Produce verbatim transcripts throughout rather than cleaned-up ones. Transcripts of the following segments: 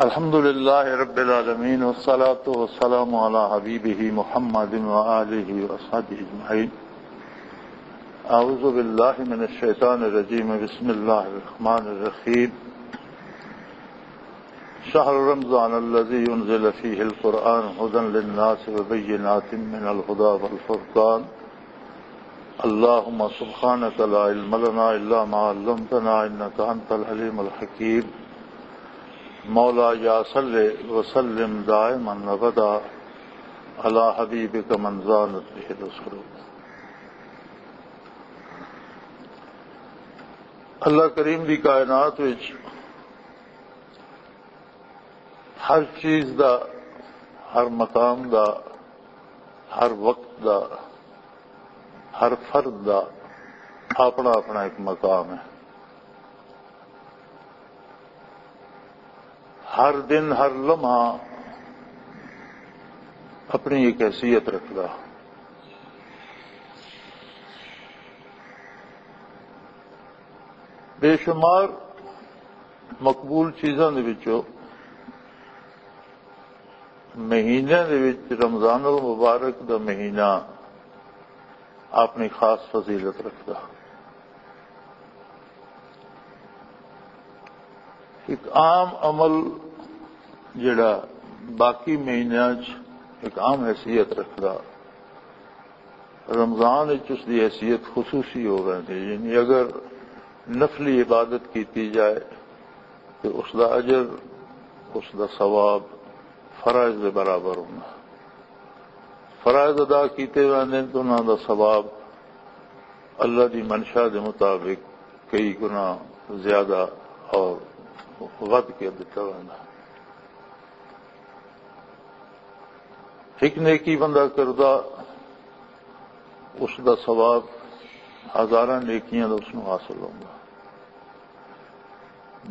الحمد لله رب العالمين، والصلاة والسلام على حبيبه محمد وآله وأصحابه أجمعين. أعوذ بالله من الشيطان الرجيم. بسم الله الرحمن الرحيم. شهر رمضان الذي أنزل فيه القرآن هدى للناس وبينات من الهدى والفرقان. اللهم سبحانك لا علم لنا إلا ما علمتنا إنك أنت العليم الحكيم. مولاي صل وسلم دائما أبدا على حبيبك من زانت به العصور. اللہ کریم دی کائنات وچ ہر چیز دا، ہر مقام دا، ہر وقت دا، ہر فرد دا اپنا اپنا ایک مقام ہے۔ ہر دن، ہر لمحہ اپنی ایک حیثیت رکھدا۔ بے شمار مقبول چیزاں دے وچوں مہینے دے وچ رمضان المبارک دا مہینہ اپنی خاص فضیلت رکھدا۔ ایک عام عمل جڑا باقی مہینیاں چ ایک عام حیثیت رکھدا، رمضان وچ اس دی حیثیت خصوصی ہو ویندی۔ یعنی اگر نفلی عبادت کیتی جائے تو اس دا اجر، اس دا ثواب فرائض دے برابر ہونا۔ فرائض ادا کیتے ویندے تو انہاں دا ثواب اللہ دی منشا دے مطابق کئی گنا زیادہ اور ودھ کے دتا ویندا۔ ایک نیکی بندہ کردا، اس دا ثواب ہزاراں نیکیاں دا اس نوں حاصل ہوندا۔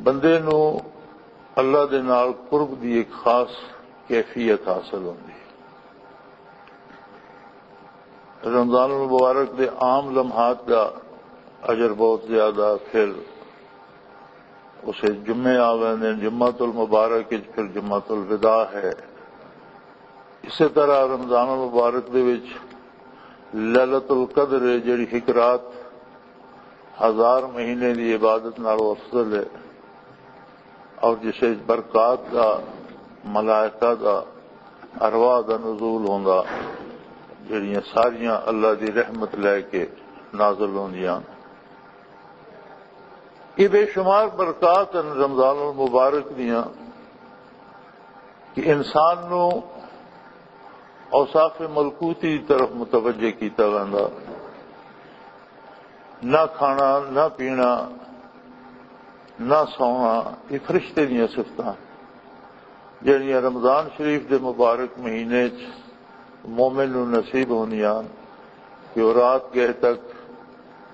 بندے نوں اللہ دے نال قرب دی ایک خاص کیفیت حاصل ہوندی۔ رمضان المبارک دے عام لمحات دا اجر بہت زیادہ، پھر اسے جمعے آ ویندے، جمعۃ المبارک وچ پھر جمعۃ الوداع ہے۔ اسی طرح رمضان المبارک دے وچ لیلۃ القدر ہے، جڑی ایک رات ہزار مہینے دی عبادت نالوں افضل ہے، اور جس وچ برکات دا، ملائکہ دا، ارواح دا نزول ہوندا، جڑیاں ساریاں اللہ دی رحمت لے کے نازل ہوندیاں۔ یہ بے شمار برکات ہیں رمضان المبارک دیاں کہ انسان نو اوصاف ملکوتی دی طرف متوجہ کیتا ویندا۔ نہ کھانا، نہ پینا، نہ سونا، یہ فرشتے دیاں صفتاں جڑیاں رمضان شریف دے مبارک مہینے چ مومن نوں نصیب ہوندیاں کہ وہ رات گئے تک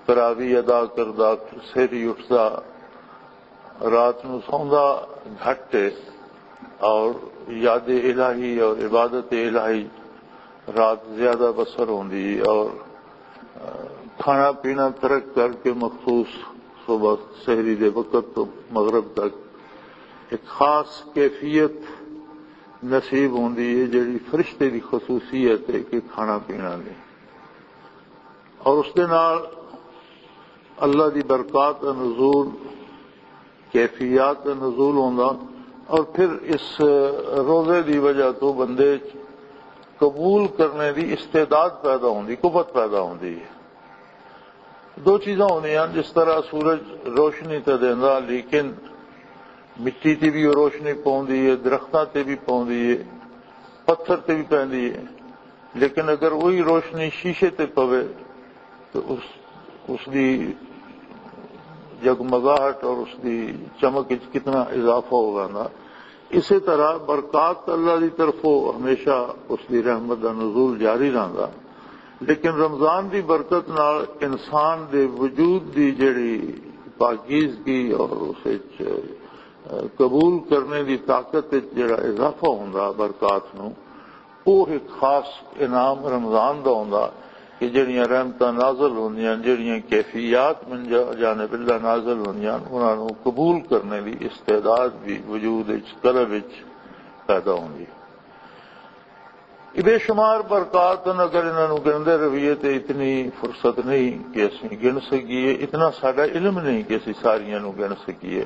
تراوی ادا کردا، پھر سہری اٹھدا، رات نوں سوندا گھٹ ہے اور یاد الہی اور عبادت الہی رات زیادہ بسر ہوندی ہے اور، آ، کھانا پینا ترک کر کے مخصوص صبح سحری دے وقت تو مغرب تک ایک خاص کیفیت نصیب ہوندی ہے، جڑی فرشتے دی خصوصیت ہے کہ کھانا پینا نہیں۔ اور اس دے نال اللہ دی برکات دا نزول، کیفیات دا نزول ہوندا، اور پھر اس روزے دی وجہ تو بندے چ قبول کرنے دی استعداد پیدا ہوندی، قوت پیدا ہوندی ہے۔ دو چیزاں ہوندیاں، جس طرح سورج روشنی تے دیندا، لیکن مٹی تے بھی روشنی پوندی ہے، درختاں تے بھی پوندی ہے، پتھر تے بھی پیندی ہے، لیکن اگر وہی روشنی شیشے تے پوے تو اس، اس دی جگمگاہٹ اور اس دی چمک وچ کتنا اضافہ ہو ویندا۔ اسی طرح برکات اللہ دی طرفوں ہمیشہ اس دی رحمت دا نزول جاری رہندا، لیکن رمضان دی برکت نال انسان دے وجود دی جڑی پاکیزگی اور اس وچ قبول کرنے دی طاقت وچ جڑا اضافہ ہوندا برکات نوں، وہ ایک خاص انعام رمضان دا ہوندا۔ کہ جڑیاں رحمتاں نازل ہوندیاں، جڑیاں کیفیات من جا- جانب اللہ نازل ہوندیاں، انہاں نوں قبول کرنے دی استعداد بھی وجود وچ، قلب وچ پیدا ہوندی۔ یہ بے شمار برکات ہن، اگر انہاں نوں گندے رہیے تے اتنی فرصت نہیں کہ اسی گن سکیے، اتنا ساڈا علم نہیں کہ اسی ساریاں نوں گن سکیے،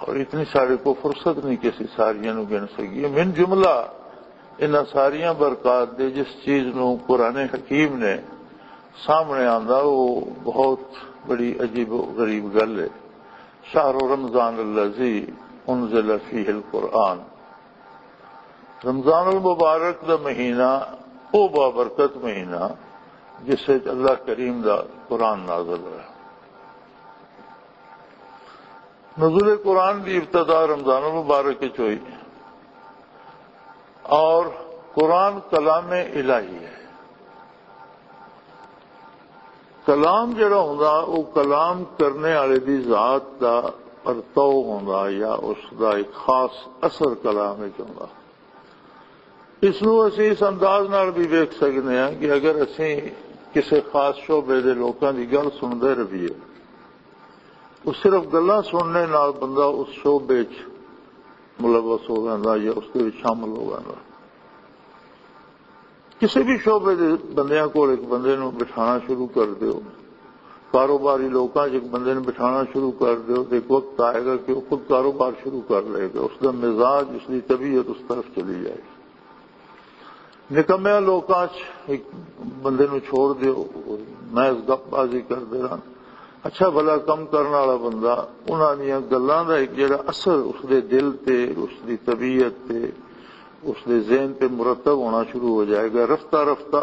اور اتنی ساڈے کو فرصت نہیں کہ اسی ساریاں نوں گن سکیے۔ من جملہ انہاں ساریاں برکات دے، جس چیز نوں قرآن حکیم نے سامنے آندا، وہ بہت بڑی عجیب و غریب گل ہے۔ شہر رمضان الذی انزل فیہ القرآن، رمضان المبارک دا مہینہ، او بابرکت مہینہ جس وچ اللہ کریم دا قرآن نازل ہوا۔ نزول قرآن دی ابتدا رمضان المبارک وچ ہوئی، اور قرآن کلام الہی ہے۔ کلام جڑا ہوندا، وہ کلام کرنے والے دی ذات دا پرتو ہوندا یا اس دا ایک خاص اثر کلام وچ ہوندا۔ اس نوں اسی اس انداز نال بھی ویکھ سکدے ہاں کہ اگر اسی کسی خاص شعبے دے لوکاں دی گل سنتے رہیے، وہ صرف گلاں سننے نال بندہ اس شعبے وچ ملوث ہو جاندا یا اس دے وچ شامل ہو جاندا۔ کسی بھی شعبے دے بندیاں کول ایک بندے نوں بٹھانا شروع کر دیو، کاروباری لوکاں 'چ ایک بندے نوں بٹھانا شروع کر دیو، تے ایک وقت آئے گا کہ وہ خود کاروبار شروع کر لے گا، اس دا مزاج، اس دی طبیعت اس طرف چلی جائے گی۔ نکمیاں لوکاں 'چ ایک بندے نوں چھوڑ دیو، محض گپ بازی کردے رہن۔ اچھا بھلا کم کرن والا بندہ، انہاں دیاں گلاں دا ایک جڑا اثر اس دے دل تے، اس دی طبیعت تے، اس دے ذہن تے مرتب ہونا شروع ہو جائے گا، رفتہ رفتہ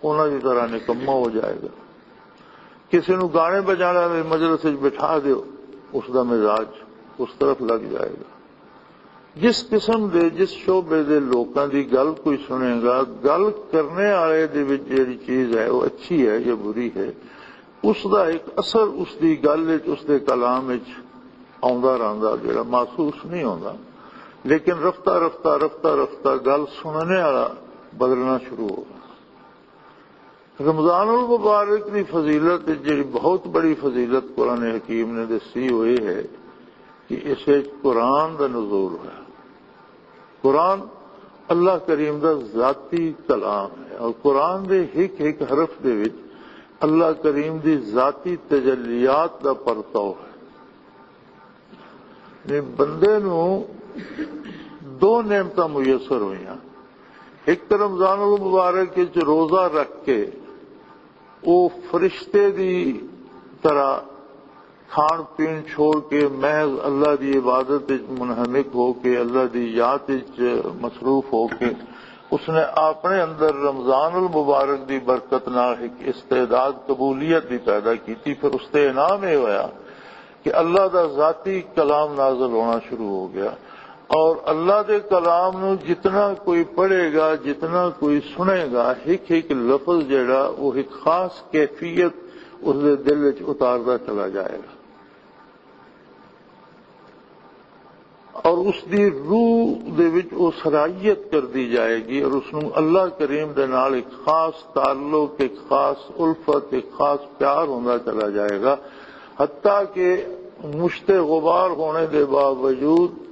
انہاں دی طرح نکما ہو جائے گا۔ کسی نوں گانے بجانے والے مجلس وچ بٹھا دیو، اس دا مزاج اس طرف لگ جائے گا۔ جس قسم دے، جس شعبے دے لوکاں دی گل کوئی سنے گا، گل کرنے والے دے وچ جڑی چیز ہے، وہ اچھی ہے یا بری ہے، اس دا ایک اثر اس دی گل وچ، اس دے کلام وچ آندا رہندا، جڑا محسوس نہیں ہوندا، لیکن رفتہ رفتہ، رفتہ رفتہ گل سننے والا بدلنا شروع ہوگا۔ رمضان المبارک دی فضیلت، جڑی بہت بڑی فضیلت قرآن حکیم نے دسی، وہ یہ ہے کہ اس وچ قرآن دا نزول ہوا۔ قرآن اللہ کریم دا ذاتی کلام ہے، اور قرآن دے ہک ہک حرف دے وچ اللہ کریم دی ذاتی تجلیات دا پرتاؤ ہے۔ یعنی بندے نوں دو نعمتاں میسر ہوئیاں۔ ایک تے رمضان المبارک وچ روزہ رکھ کے او فرشتے دی طرح کھان پین چھوڑ کے محض اللہ دی عبادت وچ منہمک ہو کے، اللہ دی یاد وچ مصروف ہو کے، اس نے اپنے اندر رمضان المبارک دی برکت نال ایک استعداد قبولیت دی پیدا کیتی۔ پھر اس تے انعام یہ ہویا کہ اللہ دا ذاتی کلام نازل ہونا شروع ہو گیا، اور اللہ دے کلام نو جتنا کوئی پڑھے گا، جتنا کوئی سنے گا، ایک ایک لفظ جڑا، وہ ایک خاص کیفیت اس دے دل وچ اتاردا چلا جائے گا، اور اس دی روح دے وچ وہ صلاحیت کر دی جائے گی، اور اس نو اللہ کریم دے نال ایک خاص تعلق، ایک خاص الفت، ایک خاص پیار ہوندا چلا جائے گا، حتیٰ کہ مشت غبار ہونے دے باوجود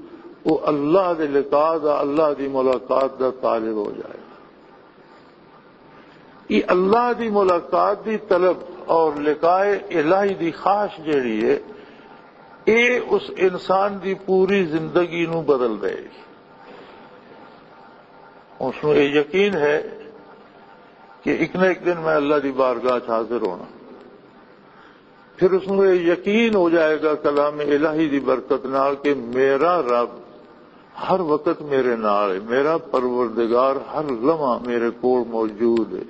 وہ اللہ دے لقاء دا، اللہ دی ملاقات دا طالب ہو جائے گا۔ یہ اللہ دی ملاقات دی طلب اور لقاء الہی دی خواہش جیڑی ہے، یہ اس انسان دی پوری زندگی نو بدل دے گی۔ اس نو یہ یقین ہے کہ ایک نہ ایک دن میں اللہ دی بارگاہ 'چ حاضر ہونا۔ پھر اس نوں یہ یقین ہو جائے گا کلام الہی دی برکت نال کہ میرا رب ہر وقت میرے نال ہے، میرا پروردگار ہر لمحہ میرے کول موجود ہے۔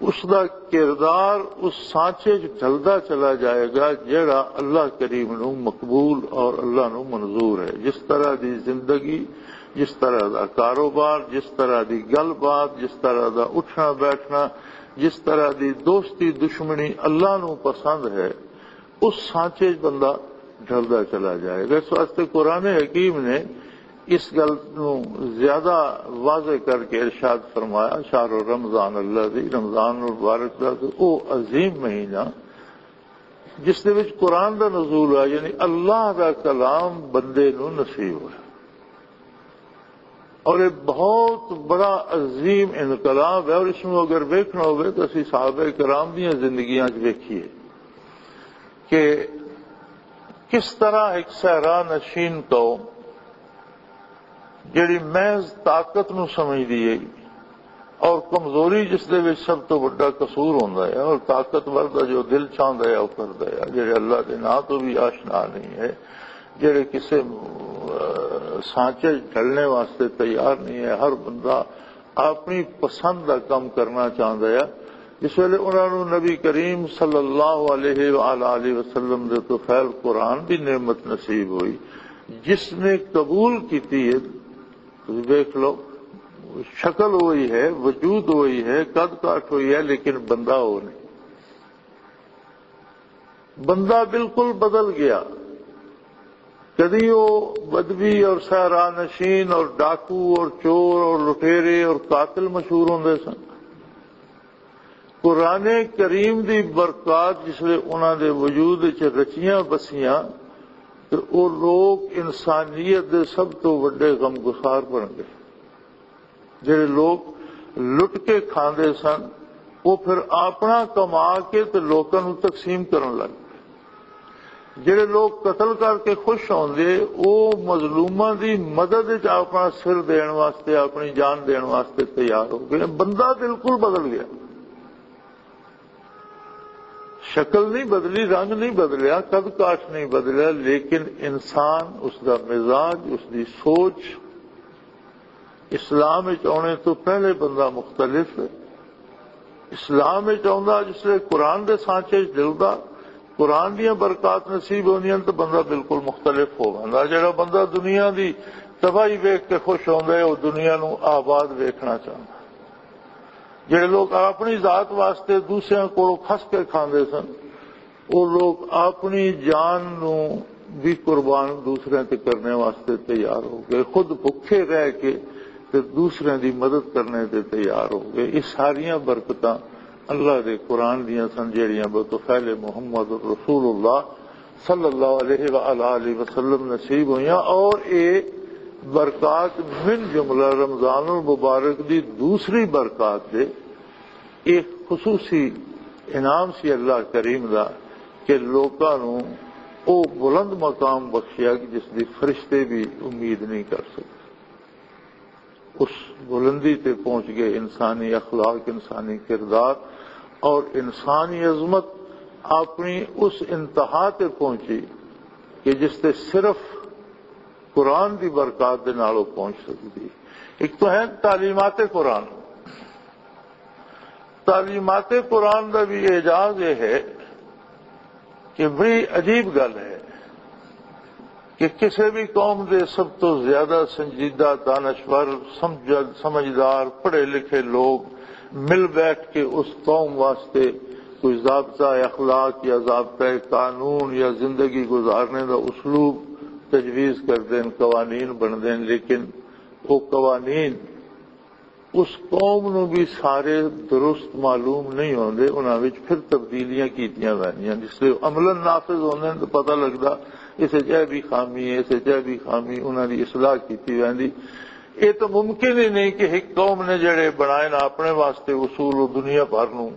اس دا کردار اس سانچے 'چ ڈھلدا چلا جائے گا جڑا اللہ کریم نوں مقبول اور اللہ نوں منظور ہے۔ جس طرح دی زندگی، جس طرح دا کاروبار، جس طرح دی گل بات، جس طرح دا اٹھنا بیٹھنا، جس طرح دی دوستی دشمنی اللہ نوں پسند ہے، اس سانچے 'چ بندہ ڈھلدا چلا جائے گا۔ اس واسطے قرآن حکیم نے اس گل نو زیادہ واضح کر کے ارشاد فرمایا، شہر رمضان اللہ دی، رمضان المبارک دا تے او عظیم مہینہ جس دے وچ قرآن دا نزول ہوا، یعنی اللہ دا کلام بندے نو نصیب ہوا۔ اور یہ بہت بڑا عظیم انقلاب ہے، اور اس میں اگر ویکھنا ہوئے تو اسی صحابہ کرام دیاں زندگیاں وچ ویکھیے کہ کس طرح ایک صحرا نشین قوم جڑی محض طاقت نو سمجھدی ہے اور کمزوری جس دے وچ سب تو بڑا قصور ہوندا ہے، اور طاقتور دا جو دل چاہندا ہے او کردا ہے، جڑے اللہ دے نام تو بھی آشنا نہیں ہے، جڑے کسے، آ، سانچے ڈھلنے واسطے تیار نہیں ہے۔ ہر بندہ اپنی پسند دا کم کرنا چاہندا ہے۔ جس ویلے انہاں نوں نبی کریم صلی اللہ علیہ وآلہ وسلم دے تو فیل قرآن دی نعمت نصیب ہوئی، جس نے قبول کیتی ہے، تسی دیکھ لو، شکل وہی ہے، وجود وہی ہے، قد کاٹھ وہی ہے، لیکن بندہ وہ نہیں۔ بندہ بالکل بدل گیا۔ کدی وہ بدوی اور صحرا نشین اور ڈاکو اور چور اور لٹیرے اور قاتل مشہور ہوندے سن۔ قرآن کریم دی برکات جس ویلے انہاں دے وجود وچ رچیاں بسیاں، تے او لوگ انسانیت دے سب تو وڈے غمگسار بن گئے۔ جڑے لوگ لٹ کے کھاندے سن، وہ پھر اپنا کما کے تے لوکاں نوں تقسیم کرن لگ پئے۔ جڑے لوگ قتل کر کے خوش ہوندے، وہ مظلوماں دی مدد وچ اپنا سر دین واسطے، اپنی جان دین واسطے تیار ہو گئے۔ بندہ بالکل بدل گیا۔ شکل نہیں بدلی، رنگ نہیں بدلیا، قد کاٹھ نہیں بدلیا، لیکن انسان، اس دا مزاج، اس دی سوچ، اسلام وچ آنے تو پہلے بندہ مختلف ہے۔ اسلام وچ آندا جس لے قرآن دے سانچے وچ ڈلدا، قرآن دیاں برکات نصیب ہوندیاں تو بندہ بالکل مختلف ہو ویندا۔ جڑا بندہ دنیا دی تباہی ویکھ کے خوش ہوندا ہے، وہ دنیا نوں آباد ویکھنا چاہندا۔ جڑے لوگ اپنی ذات واسطے دوسرے کولوں کھس کے کھاندے سن، وہ لوگ اپنی جان نوں بھی قربان دوسرے تے کرنے واسطے تیار ہو گئے، خود بھکھے رہ کے تے دوسرے دی مدد کرنے تے تیار ہو گئے۔ یہ ساریاں برکتاں اللہ دے قرآن دیاں سن، جڑیاں بطفیل محمد رسول اللہ صلی اللہ علیہ وآلہ وسلم نصیب ہوئیاں، اور یہ برکات من جملہ رمضان المبارک دی دوسری برکات دے ایک خصوصی انعام سی اللہ کریم دا کہ لوکاں نوں او بلند مقام بخشیا کہ جس دی فرشتے بھی امید نہیں کر سکتے۔ اس بلندی تے پہنچ گئے، انسانی اخلاق، انسانی کردار اور انسانی عظمت اپنی اس انتہا تے پہنچی کہ جس تے صرف قرآن دی برکات دے نال او پہنچ سکدی۔ ایک تو ہے تعلیمات قرآن۔ تعلیمات قرآن دا بھی اعجاز یہ ہے کہ بڑی عجیب گل ہے کہ کسی بھی قوم دے سب تو زیادہ سنجیدہ، دانشور، سمجھ-، سمجھدار، پڑھے لکھے لوگ مل بیٹھ کے اس قوم واسطے کوئی ضابطہ اخلاق یا ضابطہ قانون یا زندگی گزارنے دا اسلوب تجویز کر دین، قوانین بن دین، لیکن وہ قوانین اس قوم نوں بھی سارے درست معلوم نہیں ہوندے، انہاں وچ پھر تبدیلیاں کیتیاں ویندیاں۔ جس لے عملاً نافذ ہوندے نے تو پتہ لگدا اس وچ اے بھی خامی ہے، اس وچ اے بھی خامی، انہاں دی اصلاح کیتی ویندی۔ یہ تو ممکن ہی نہیں کہ ایک قوم نے جڑے بنائے نا اپنے واسطے اصول، وہ دنیا بھر نوں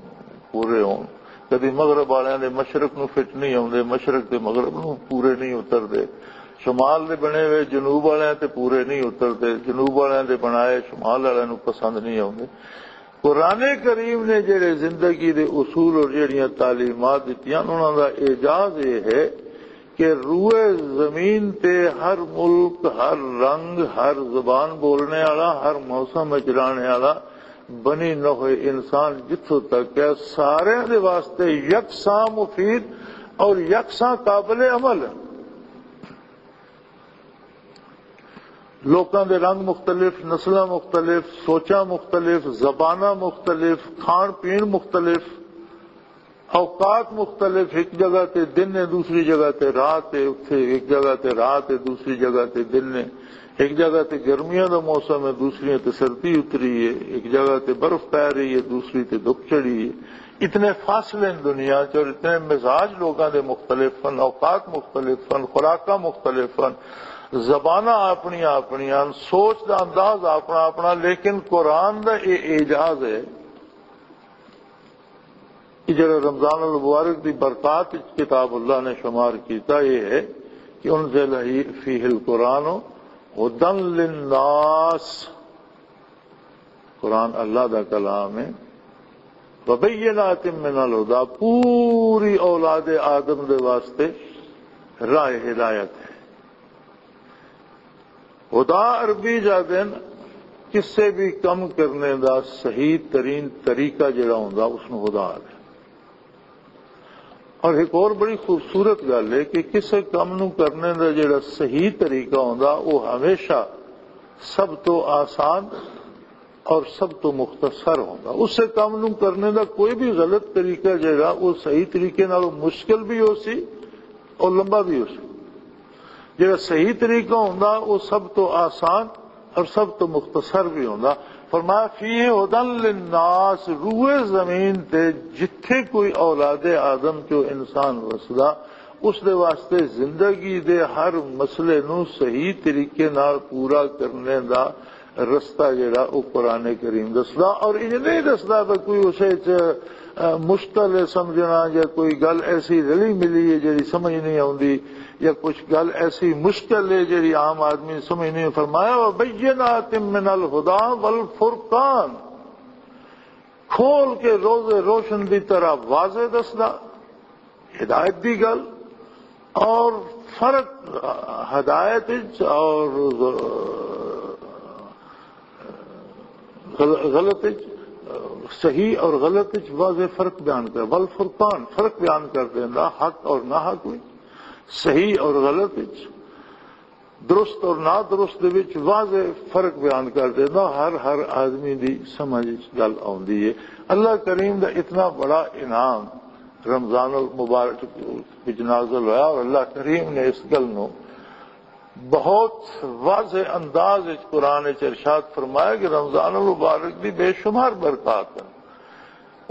پورے ہون۔ کدی مغرب والیاں دے مشرق نوں فٹ نہیں ہوندے، مشرق دے مغرب نوں پورے نہیں اتردے، شمال دے بنے ہوئے جنوب والیاں تے پورے نہیں اتردے، جنوب والیاں دے بنائے شمال والیاں نوں پسند نہیں آوندے۔ قرآن کریم نے جڑے زندگی دے اصول اور جڑیاں تعلیمات دتیاں، انہاں دا اعجاز یہ ہے کہ روئے زمین تے ہر ملک، ہر رنگ، ہر زبان بولنے والا، ہر موسم وچ رہنے والا بنی نوع انسان جتھوں تک ہے، سارے دے واسطے یکساں مفید اور یکساں قابل عمل ہے۔ لوکاں دے رنگ مختلف، نسلاں مختلف، سوچاں مختلف، زباناں مختلف، کھان پین مختلف، اوقات مختلف، ایک جگہ تے دن ہے، دوسری جگہ تے رات ہے، اتھے ایک جگہ تے رات ہے، دوسری جگہ تے دن ہے، ایک جگہ تے گرمیاں دا موسم ہے، دوسری تے سردی اتری ہے، ایک جگہ تے برف پے رہی ہے، دوسری تے دھوپ چڑھی ہے۔ اتنے فاصلے ہیں دنیا چ، اور اتنے مزاج لوگاں دے مختلف ہیں، اوقات مختلف ہیں، خوراکاں مختلف ہیں، زباناں اپنیاں اپنیاں ہیں، سوچ دا انداز اپنا اپنا، لیکن قرآن دا یہ اعجاز ہے کہ جڑا رمضان المبارک دی برکات وچ کتاب اللہ نے شمار کیتا، یہ ہے کہ انزل فیہ القرآن ہدی للناس۔ قرآن اللہ دا کلام ہے۔ وبینات من الہدی، پوری اولاد آدم دے واسطے راہ ہدایت ہے۔ ہدا عربی جا دین کسے بھی کم کرنے دا صحیح ترین طریقہ جڑا ہوندا، اس نوں ہدا آکھدے۔ اور ایک اور بڑی خوبصورت گل ہے کہ کسے کم نوں کرنے دا جڑا صحیح طریقہ ہوندا، وہ ہمیشہ سب تو آسان اور سب تو مختصر ہوندا۔ اس سے کم نوں کرنے دا کوئی بھی غلط طریقہ جڑا، وہ صحیح طریقے نال مشکل بھی ہو سی اور لمبا بھی ہو سی۔ جڑا صحیح طریقہ ہوندا، وہ سب تو آسان اور سب تو مختصر بھی ہوندا۔ فرمایا، فیہ ہدی للناس، روئے زمین تے جتھے کوئی اولاد آدم چو انسان وسدا، اس دے واسطے زندگی دے ہر مسئلے نو صحیح طریقے نال پورا کرنے دا رستہ جڑا، او قرآن کریم دسدا۔ اور انج نہیں دسدا کہ کوئی اسے چ، آ، مشکل ہے سمجھنا، یا کوئی گل ایسی رلی ملی ہے جڑی سمجھ نہیں آوندی، یا کچھ گل ایسی مشکل ہے جڑی عام آدمی سمجھ نہیں۔ فرمایا، "وبینات من الہدی والفرقان"، کھول کے روز روشن دی طرح واضح دسدا، ہدایت دی گل اور فرق ہدایت وچ اور غل-، غلط وچ، صحیح اور غلط وچ واضح فرق بیان کر، والفرقان، فرق بیان کر دیندا حق اور ناحق وچ، صحیح اور غلط وچ، درست اور نادرست دے وچ واضح فرق بیان کر دیندا، ہر، ہر آدمی دی سمجھ وچ گل آوندی ہے۔ اللہ کریم دا اتنا بڑا انعام رمضان المبارک وچ نازل ہویا، اور اللہ کریم نے اس گل نو بہت واضح انداز وچ قرآن وچ ارشاد فرمایا کہ رمضان المبارک دی بے شمار برکات ہیں۔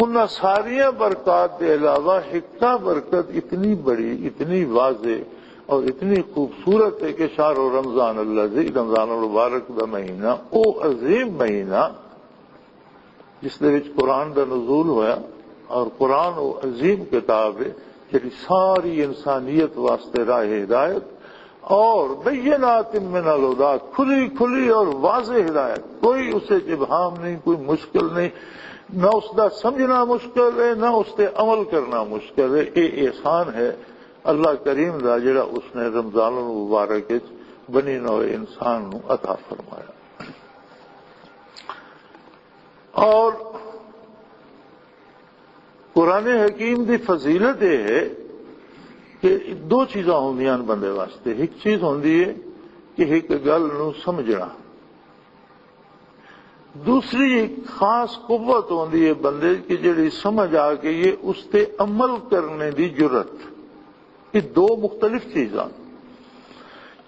انہاں ساریاں برکات دے علاوہ ہکا برکت اتنی بڑی، اتنی واضح اور اتنی خوبصورت ہے کہ شہر رمضان الذی، رمضان المبارک دا مہینہ، او عظیم مہینہ جس دے وچ قرآن دا نزول ہویا، اور قرآن او عظیم کتاب ہے جڑی ساری انسانیت واسطے راہ ہدایت اور بینات من الہدی، کھلی کھلی اور واضح ہدایت، کوئی اسے چ ابہام نہیں، کوئی مشکل نہیں، نہ اس دا سمجھنا مشکل ہے، نہ اس تے عمل کرنا مشکل ہے۔ اے احسان ہے اللہ کریم دا، جڑا اس نے رمضان المبارک وچ بنی نوع انسان نو عطا فرمایا۔ اور قرآن حکیم دی فضیلت یہ ہے کہ دو چیزاں ہوندیاں نے بندے واسطے۔ ایک چیز ہوندی ہے کہ ایک گل نو سمجھنا، دوسری ایک خاص قوت ہوندی ہے بندے کی، جڑی سمجھ آ گئی ہے، اس تے عمل کرنے دی جرت۔ یہ دو مختلف چیزاں۔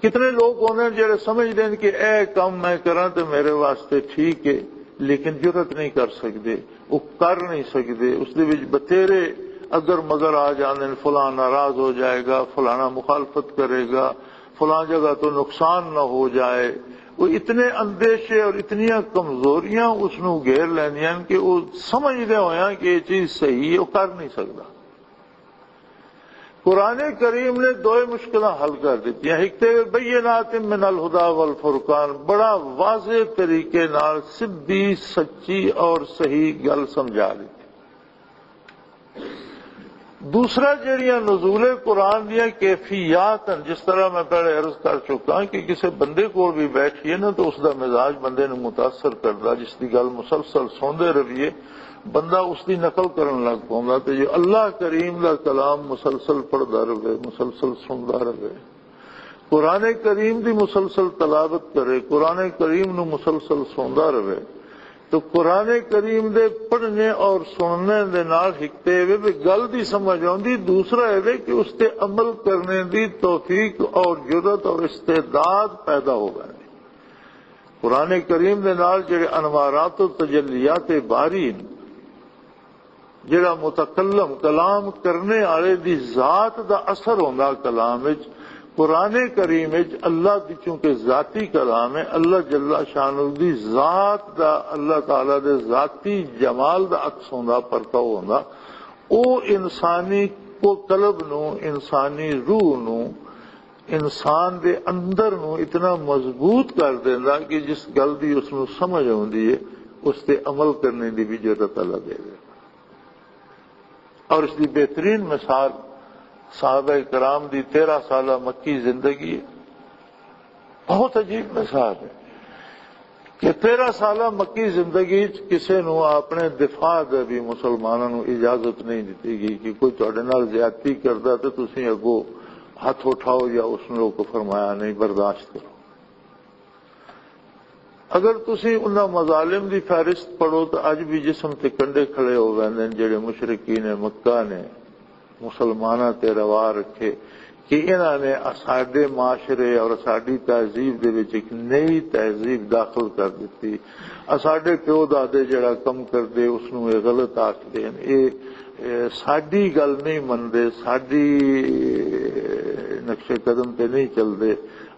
کتنے لوگ ہوندے نے جڑے سمجھدے نے کہ اے کم میں کراں تے میرے واسطے ٹھیک ہے، لیکن جرت نہیں کر سکدے، وہ کر نہیں سکدے۔ اس دے وچ بتھیرے اگر مگر آ جاندے نے، فلاں ناراض ہو جائے گا، فلانا مخالفت کرے گا، فلاں جگہ تو نقصان نہ ہو جائے۔ وہ اتنے اندیشے اور اتنیاں کمزوریاں اس نو گھیر لیندیاں نے کہ وہ سمجھدے ہویاں کہ یہ چیز صحیح ہے، وہ کر نہیں سکدا۔ قرآن کریم نے دوئے مشکلاں حل کر دتیاں۔ ایک تے بینات من الہدی والفرقان، بڑا واضح طریقے نال سدھی، سچی اور صحیح گل سمجھا دتی۔ دوسرا، جڑیاں نزول قرآن دیاں کیفیات ہیں، جس طرح میں پہلے عرض کر چکا کہ کسی بندے کول بھی بیٹھیے نا، تو اس دا مزاج بندے نو متاثر کردا، جس دی گل مسلسل سوندے رہیے، بندہ اس دی نقل کرن لگ پوندا۔ تے جو اللہ کریم دا کلام مسلسل پڑھدا رہے، مسلسل سندا رہے، قرآن کریم دی مسلسل تلاوت کرے، قرآن کریم نو مسلسل سندا رہے، تو قرآن کریم دے پڑھنے اور سننے دے نال ایک تے وے بھی گل دی سمجھ آؤندی، دوسرا اے وے کہ اس تے عمل کرنے دی توفیق اور جرات اور استعداد پیدا ہو گئے۔ قرآن کریم دے نال جڑے انوارات و تجلیات باری ہیں، جڑا متکلم کلام کرنے والے دی ذات دا اثر ہوندا کلام وچ۔ قرآن کریم وچ اللہ دی، چونکہ ذاتی کلام ہے، اللہ جل شانہ دی ذات دا، اللہ تعالیٰ دے ذاتی جمال دا عکس ہوندا، پرتاؤ ہوندا۔ او انسانی کو قلب نو، انسانی روح نو، انسان دے اندر نو اتنا مضبوط کر دیندا کہ جس گل دی اس نو سمجھ آوندی ہے، اس تے عمل کرنے دی بھی جرات اللہ دے دے۔ اور اس دی بہترین مثال صحابہ کرام دی تیرہ سالہ مکی زندگی ہے۔ بہت عجیب مثال ہے کہ تیرہ سالہ مکی زندگی وچ کسے نو اپنے دفاع دے بھی مسلماناں نو اجازت نہیں دتی گئی کہ کوئی تہاڈے نال زیادتی کردا تے تسی اگوں ہاتھ اٹھاؤ یا اس نو کو فرمایا نہیں، برداشت کرو۔ اگر تسی انہاں مظالم دی فہرست پڑھو تو اج بھی جسم تے کنڈے کھڑے ہو ویندے نے جڑے مشرکین مکہ نے مسلماناں تے روا رکھے کہ انہاں نے اساڈے معاشرے اور اساڈی تہذیب دے وچ ایک نئی تہذیب داخل کر دتی۔ اساڈے پیو دادے جڑا کم کردے اس نوں اے غلط آکھدے ہن۔ اے، اے ساڈی گل نہیں مندے، ساڈی نقش قدم تے نہیں چلدے۔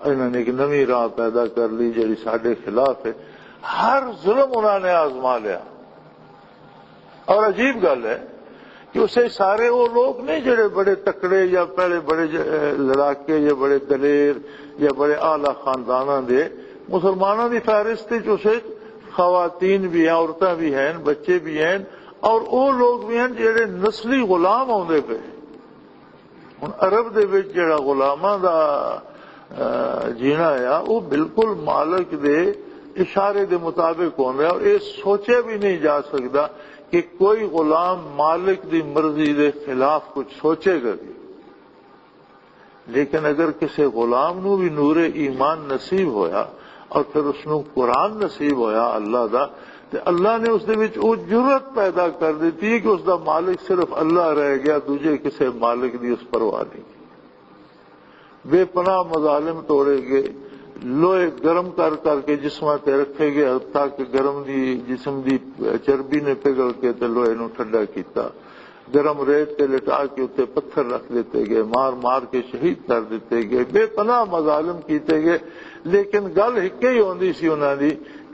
انہاں نے ایک نویں راہ پیدا کر لی جڑی ساڈے خلاف ہے۔ ہر ظلم انہاں نے آزما لیا۔ اور عجیب گل ہے کہ اسے سارے وہ لوگ نہیں جڑے بڑے تکڑے یا پہلے بڑے ج-، لڑاکے یا بڑے دلیر یا بڑے اعلیٰ خانداناں دے، مسلمانوں دی فہرست وچ اسے خواتین بھی ہیں، عورتاں بھی ہیں، بچے بھی ہیں، اور وہ لوگ بھی ہیں جڑے نسلی غلام ہوندے پے۔ ہن عرب دے وچ جڑا غلاماں دا، آ، جینا آ، وہ بالکل مالک دے اشارے دے مطابق ہوندا ہے، اور یہ سوچیا بھی نہیں جا سکدا کہ کوئی غلام مالک دی مرضی دے خلاف کچھ سوچے گا بھی۔ لیکن اگر کسی غلام نو بھی نور ایمان نصیب ہویا اور پھر اس نو قرآن نصیب ہویا اللہ دا، تے اللہ نے اس دے وچ وہ جرات پیدا کر دیتی ہے کہ اس دا مالک صرف اللہ رہ گیا، دوجے کسے مالک دی اس پرواہ نہیں۔ بے پناہ مظالم توڑے گئے، لوہے گرم کر کر کے جسماں تے رکھے گئے، حتیٰ کہ گرم دی، جسم دی چربی نے پگھل کے تے لوہے نو ٹھنڈا کیتا۔ گرم ریت تے لٹا کے اتنے پتھر رکھ دیتے گئے، مار مار کے شہید کر دیتے گئے، بے پناہ مظالم کیتے گئے۔ لیکن گل ہکے ہی ہوندی سی انہاں دی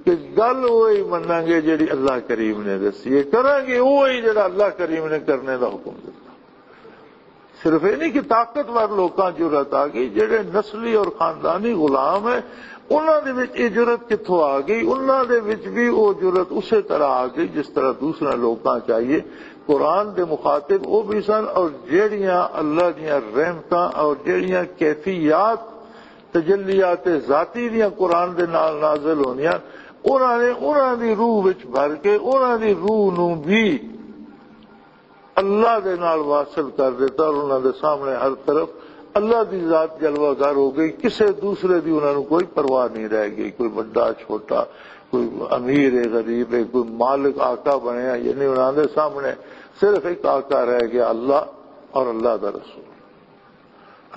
کہ گل وہی مناں گے جڑی اللہ کریم نے دسی ہے، کراں گے وہی جڑا اللہ کریم نے کرنے دا حکم دتا۔ صرف یہ نہیں کہ طاقتور لوکاں جرات آ گئی، جڑے نسلی اور خاندانی غلام ہیں، انہاں دے وچ یہ جرات کتھوں آ گئی؟ انہاں دے وچ بھی وہ جرات اسی طرح آ گئی جس طرح دوسرے لوکاں چاہیے۔ قرآن دے مخاطب وہ بھی سن، اور جڑیاں اللہ دیاں رحمتاں اور جڑیاں کیفیات تجلیات ذاتی دیاں قرآن دے نال نازل ہوندیاں، انہاں نے انہاں دی روح وچ بھر کے انہاں دی روح نو بھی اللہ دے نال واصل کر دیتا اور انہاں دے سامنے ہر طرف اللہ دی ذات جلوہ گر ہو گئی۔ کسے دوسرے دی انہاں نوں کوئی پرواہ نہیں رہ گئی، کوئی بڑا چھوٹا، کوئی امیر ہے غریب ہے، کوئی مالک آقا بنیا، یعنی انہاں دے سامنے صرف ایک آقا رہ گیا، اللہ اور اللہ دا رسول۔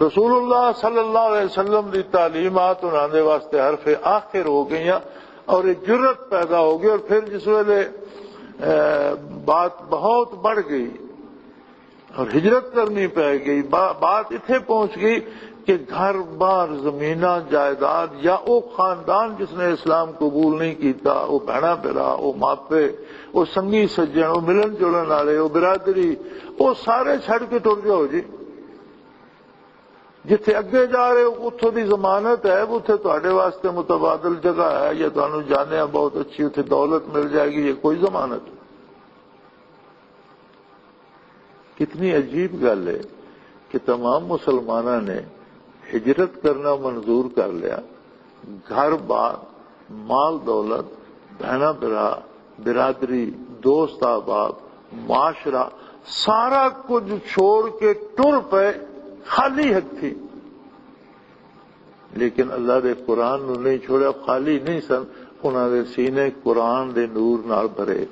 رسول اللہ صلی اللہ علیہ وسلم دی تعلیمات انہاں دے واسطے حرف آخر ہو گئیاں اور ایک جرت پیدا ہو گئی۔ اور پھر جس ویلے، اے، بات بہت بڑھ گئی اور ہجرت کرنی پی گئی، با-، بات اتھے پہنچ گئی کہ گھر بار، زمیناں، جائیداد، یا او خاندان جس نے اسلام قبول نہیں کیتا، او بہنا بھرا، او ماپے، او سنگی سجن، او ملن جلن والے، او برادری، او سارے چھڑ کے ٹر جاؤ جی۔ جتھے اگے جا رہے ہو، اتھوں دی ضمانت ہے، اتھے تہاڈے واسطے متبادل جگہ ہے، یا تانوں جانے آ بہت اچھی اتھے دولت مل جائے گی، یا کوئی ضمانت نہیں۔ کتنی عجیب گل ہے کہ تمام مسلماناں نے ہجرت کرنا منظور کر لیا، گھر بار، مال دولت، بہنا بھرا، برادری، دوست احباب، معاشرہ، سارا کچھ چھوڑ کے ٹر پے خالی ہتھی۔ لیکن اللہ دے قرآن نو نہیں چھوڑیا، خالی نہیں سن۔ انہاں دے سینے قرآن دے نور نال بھرے۔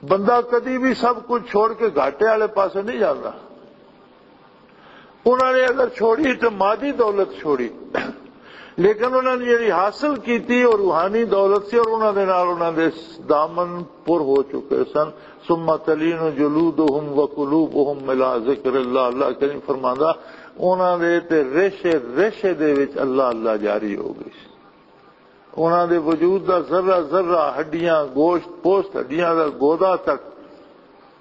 بندہ کدی بھی سب کچھ چھوڑ کے گھاٹے والے پاسے نہیں جاندا۔ انہاں نے اگر چھوڑی تو مادی دولت چھوڑی، لیکن انہاں نے جڑی حاصل کیتی، اور روحانی دولت سی، اور انہاں دے نال انہاں دے دامن پر ہو چکے سن۔ ثم تلین جلودہم وقلوبہم الی ذکر اللہ، اللہ کریم فرماندا، انہاں دے تے ریشے ریشے دے وچ اللہ اللہ جاری ہو گئی سی۔ انہاں دے وجود دا ذرہ ذرہ، ہڈیاں، گوشت، پوست، ہڈیاں دا گودا تک،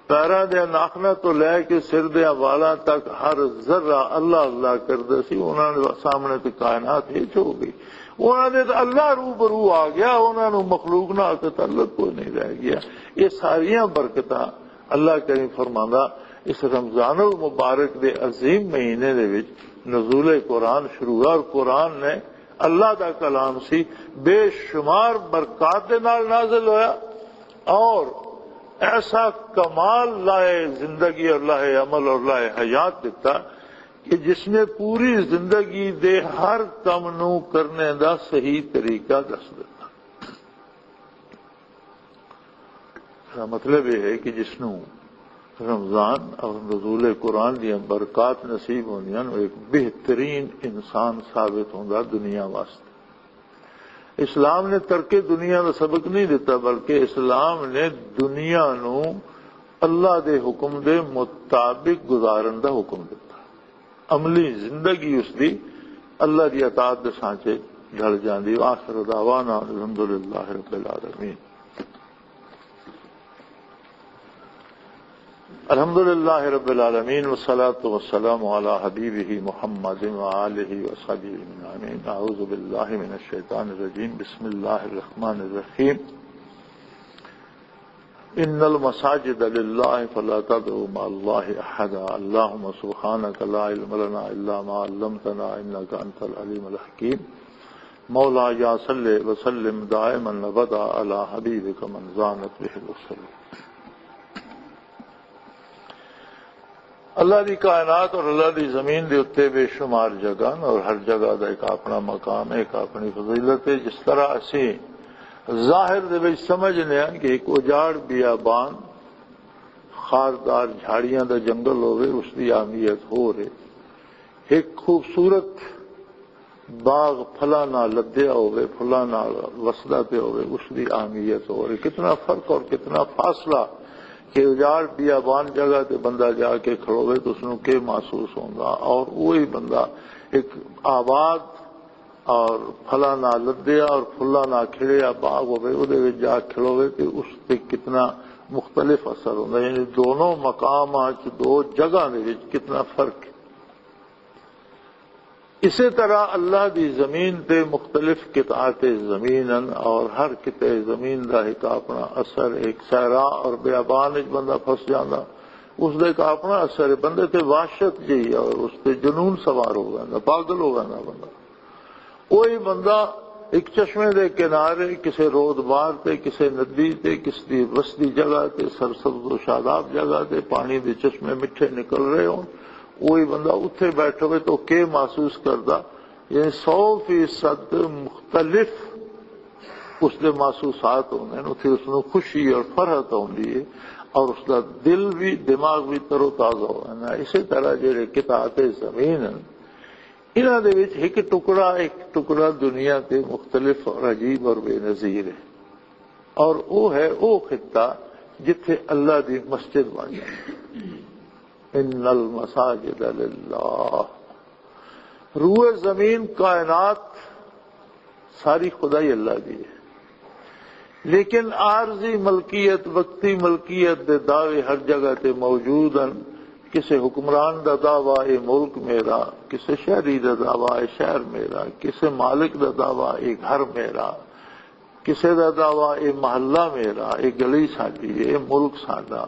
پیراں دے ناخناں تو لے کے سر دے والاں تک ہر ذرہ اللہ اللہ کردا سی۔ انہاں دے سامنے تے کائنات ہچ ہو گئی۔ انہاں دے تے اللہ روبرو آ گیا، انہاں نوں مخلوق نال تے تعلق کوئی نہیں رہ گیا۔ یہ ساریاں برکتاں اللہ کریم فرماندا، اس رمضان المبارک دے عظیم مہینے دے وچ نزول قرآن شروع ہوا، اور قرآن نے اللہ دا کلام سی، بے شمار برکات دے نال نازل ہویا، اور ایسا کمال لائے زندگی اور لائے عمل اور لائے حیات دیتا کہ جس نے پوری زندگی دے ہر کم نو کرنے دا صحیح طریقہ دس دیتا۔ اس دا مطلب یہ ہے کہ جس نو رمضان اور نزول قرآن دیاں برکات نصیب ہوندیاں، وہ ایک بہترین انسان ثابت ہوندا دنیا واسطے۔ اسلام نے ترک دنیا دا سبق نہیں دیتا، بلکہ اسلام نے دنیا نو اللہ دے حکم دے مطابق گزارن دا حکم دیتا۔ عملی زندگی اس دی اللہ دی اطاعت دے سانچے ڈھل جاندی۔ وآخر دعوانا الحمدللہ رب العالمین۔ الحمدللہ رب العالمین، والصلاة والسلام علی حبیبہ محمد وآلہ وصحبہ اجمعین۔ اعوذ باللہ من الشیطان الرجیم۔ بسم اللہ الرحمن الرحیم۔ ان المساجد للہ فلا تدعوا مع اللہ احدا۔ اللہم سبحانک لا علم لنا الا ما علمتنا انک انت العلیم الحکیم۔ مولا یا صلی وسلم دائما ابدا علی حبیبک من زانت بہ الوسل۔ اللہ دی کائنات اور اللہ دی زمین دے اُتے بے شمار جگہ ہن اور ہر جگہ دا ایک اپنا مقام ہے، ایک اپنی فضیلت ہے۔ جس طرح اسی ظاہر دے وچ سمجھنے ہاں کہ ایک اجاڑ بیابان، خاردار جھاڑیاں دا جنگل ہووے، اس دی اہمیت ہو رہے۔ ایک خوبصورت باغ پھلاں نال لدیا ہوئے، پھلاں نال وسدا پیا ہوئے، اس دی اہمیت ہو رہی۔ کتنا فرق اور کتنا فاصلہ کہ اجاڑ بیابان جگہ تے بندہ جا کے کھلوے تو اس نوں کی محسوس ہوندا، اور وہی بندہ ایک آباد اور پھلاں نال لدیا اور پھلاں نال کھڑیا باغ ہوئے، اودے وچ جا کھلوے تے اس تے کتنا مختلف اثر ہوندا۔ یعنی دونوں مقامات چ، دو جگہاں دے وچ کتنا فرق ہے۔ اسی طرح اللہ دی زمین تے مختلف قطعات زمین ہن، اور ہر قطعے زمین دا ایک اپنا اثر، ایک صحرا اور بیابان وچ بندہ پھس جاندا، اس دا ایک اپنا اثر ہے۔ بندے تے وحشت جئی اور اس تے جنون سوار ہو جاندا، پاگل ہو جاندا بندہ۔ وہی بندہ ایک چشمے دے کنارے، کسے رود بار تے، کسے ندی تے، کس دی وسدی جگہ تے، سرسبز و شاداب جگہ تے، پانی دے چشمے مٹھے نکل رہے ہون، وہی بندہ اتھے بیٹھے ہوئے تو کی محسوس کردا؟ یعنی سو فیصد مختلف اس دے محسوسات ہوندے نے۔ اتھے اس نوں خوشی اور فرحت ہوندی ہے، اور اس دا دل بھی، دماغ بھی تر و تازہ ہو جاندا ہے۔ اسی طرح جڑے قطعات زمین ہیں، انہاں دے وچ ایک ٹکڑا، ایک ٹکڑا دنیا تے مختلف اور عجیب اور بے نظیر ہے، اور وہ ہے وہ خطہ جتھے اللہ دی مسجد بن جائے۔ ان المساجد للہ، روئے زمین، کائنات، ساری خدائی اللہ دی ہے۔ لیکن عارضی ملکیت، وقتی ملکیت دے دعوے ہر جگہ تے موجود ہیں۔ کسے حکمران دا دعویٰ اے ملک میرا، کسے شہری دا دعویٰ اے شہر میرا، کسے مالک دا دعویٰ اے گھر میرا، کسے دا دعویٰ اے محلہ میرا، اے گلی ساڈی، اے ملک ساڈا۔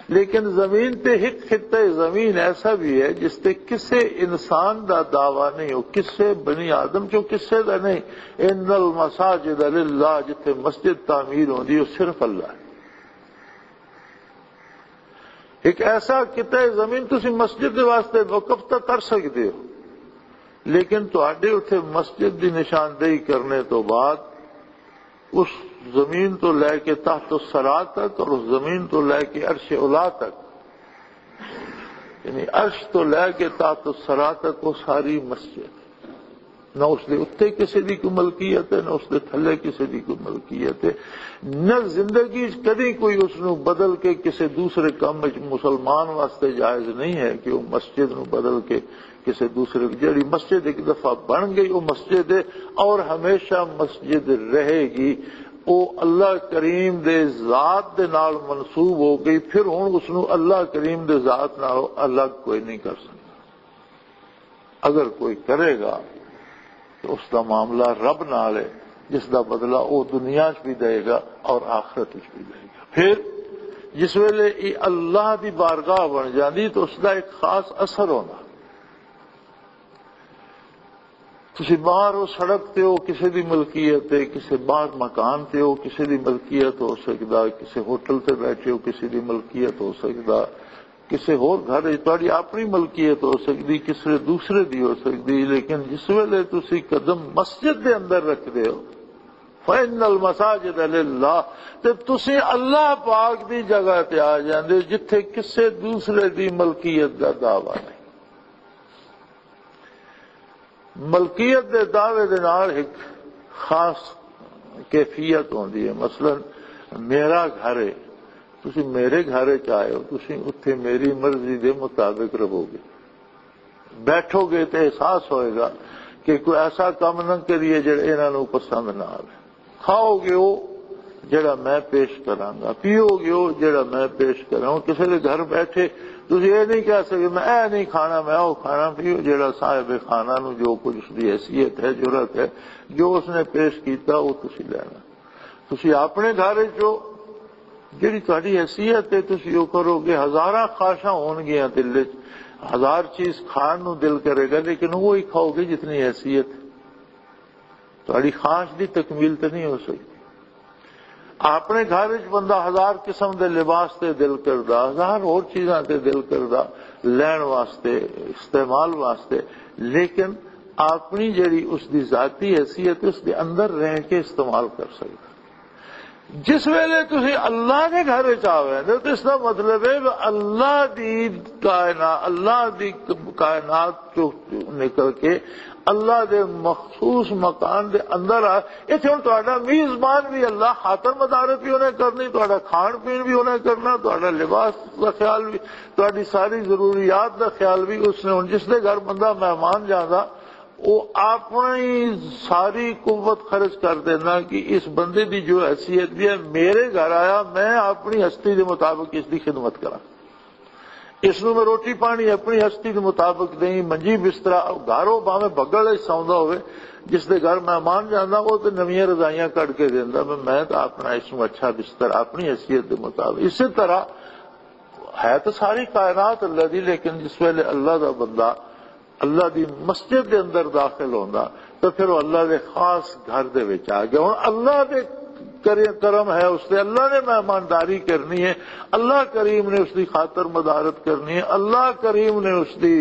لیکن زمین تے ایک خطہ زمین ایسا بھی ہے جس تے کسے انسان دا دعویٰ نہیں ہو، کسے بنی آدم چوں کسے دا نہیں۔ ان المساجد للہ، جتھے مسجد تعمیر ہوندی، وہ صرف اللہ ہے۔ ایک ایسا قطعہ زمین تسی مسجد دے واسطے وقف تاں کر سکدے ہو، لیکن تہاڈے اتھے مسجد دی نشاندہی کرنے تو بعد اس زمین تو لے کے تحت الثری تک اور اس زمین تو لے کے عرش اولا تک، یعنی عرش تو لے کے تحت الثری تک، وہ ساری مسجد، نہ اس دے اُتے کسے دی کوئی ملکیت ہے، نہ اس دے تھلے کسے دی کوئی ملکیت ہے۔ نہ زندگی وچ کدی کوئی اس نو بدل کے کسے دوسرے کم وچ، مسلمان واسطے جائز نہیں ہے کہ وہ مسجد نو بدل کے کسے دوسرے، جڑی مسجد ایک دفعہ بن گئی، وہ مسجد ہے اور ہمیشہ مسجد رہے گی۔ وہ اللہ کریم دے ذات دے نال منسوب ہو گئی، پھر ہن اس نو اللہ کریم دے ذات نال الگ کوئی نہیں کر سکتا۔ اگر کوئی کرے گا تو اس دا معاملہ رب نال ہے، جس دا بدلہ وہ دنیا چ بھی دے گا اور آخرت چ بھی دے گا۔ پھر جس ویلے یہ اللہ دی بارگاہ بن جاندی تو اس دا ایک خاص اثر ہونا۔ تسی باہر ہو، سڑک تے ہو، کسے دی ملکیت ہے، کسے باہر مکان تے ہو، کسے دی ملکیت ہو سکدا، کسے ہوٹل تے بیٹھے ہو، کسے دی ملکیت ہو سکدا، کسے ہور گھر وچ تہاڈی اپنی ملکیت ہو سکدی، کسے دوسرے دی ہو سکدی، لیکن جس ویلے تسی قدم مسجد دے اندر رکھدے ہو، فَإِنَّ الْمَسَاجِدَ لِلَّهِ، تے تسی اللہ پاک دی جگہ تے آ جاندے ہو جتھے کسے دوسرے دی ملکیت دا دعویٰ نہیں۔ ملکیت دے دعوے دے نال ایک خاص کیفیت ہوندی ہے۔ مثلاً میرا گھر ہے، تسی میرے گھر وچ آئے ہو، تسی اتھے میری مرضی دے مطابق رہو گے، بیٹھو گے تے احساس ہوئے گا کہ کوئی ایسا کم نہ کریے جڑا انہاں نوں پسند نہ آوے۔ کھاؤ گے وہ جڑا میں پیش کراں گا، پیو گے وہ جڑا میں پیش کراں۔ کسی دے گھر بیٹھے تسی یہ نہیں کہہ سکتے میں اے نہیں کھانا، میں وہ کھانا۔ پیو جڑا صاحب خانہ نو جو کچھ اس دی حیثیت ہے، جرات ہے، جو اس نے پیش کیتا وہ تسی لینا۔ تسی اپنے گھر وچ ہو، جڑی تہاڈی حیثیت ہے تسی وہ کرو گے۔ ہزاراں خواہشاں ہون گیاں دل وچ، ہزار چیز کھان نو دل کرے گا، لیکن وہی کھاؤ گے جتنی حیثیت۔ تہاڈی خواہش دی تکمیل تے نہیں ہو سکدی۔ اپنے گھر وچ بندہ ہزار قسم دے لباس تے دل کردا، ہزار ہور چیزاں تے دل کردا، لین واسطے، استعمال واسطے، لیکن اپنی جڑی اس دی ذاتی حیثیت اس دے اندر رہ کے استعمال کر سکدا۔ جس ویلے تسی اللہ دے گھر وچ آوے تے اس دا مطلب ہے کہ اللہ دی کائنات، اللہ دی کائنات چوں نکل کے اللہ دے مخصوص مکان دے اندر آ۔ ایتھے ہن تہاڈا میزبان بھی اللہ، خاطر مدارت بھی انہیں کرنی، تہاڈا کھان پین بھی انہیں کرنا، تہاڈا لباس دا خیال بھی، تہاڈی ساری ضروریات دا خیال بھی اس نے۔ ہن جس دے گھر بندہ مہمان جاندا، وہ اپنی ساری قوت خرچ کر دینا کہ اس بندے دی جو حیثیت بھی ہے، میرے گھر آیا، میں اپنی ہستی دے مطابق اس دی خدمت کراں۔ اس نوں میں روٹی پانی اپنی ہستی دے مطابق دیں، منجی بسترا، گھروں باویں بگل وچ سوندا ہوئے، جس دے گھر مہمان جاندا، وہ تے نویاں رضائیاں کڈ کے دیندا۔ میں، میں تو اپنا اس نوں اچھا بستر اپنی حیثیت دے مطابق۔ اسی طرح ہے تو ساری کائنات اللہ دی، لیکن جس ویلے اللہ دا بندہ اللہ دی مسجد دے اندر داخل ہوندا تو پھر وہ اللہ دے خاص گھر دے وچ آ گیا۔ ہن اللہ دے کرے-، کرم ہے، اس تے اللہ نے مہمانداری کرنی ہے، اللہ کریم نے اس دی خاطر مدارت کرنی ہے، اللہ کریم نے اس دی،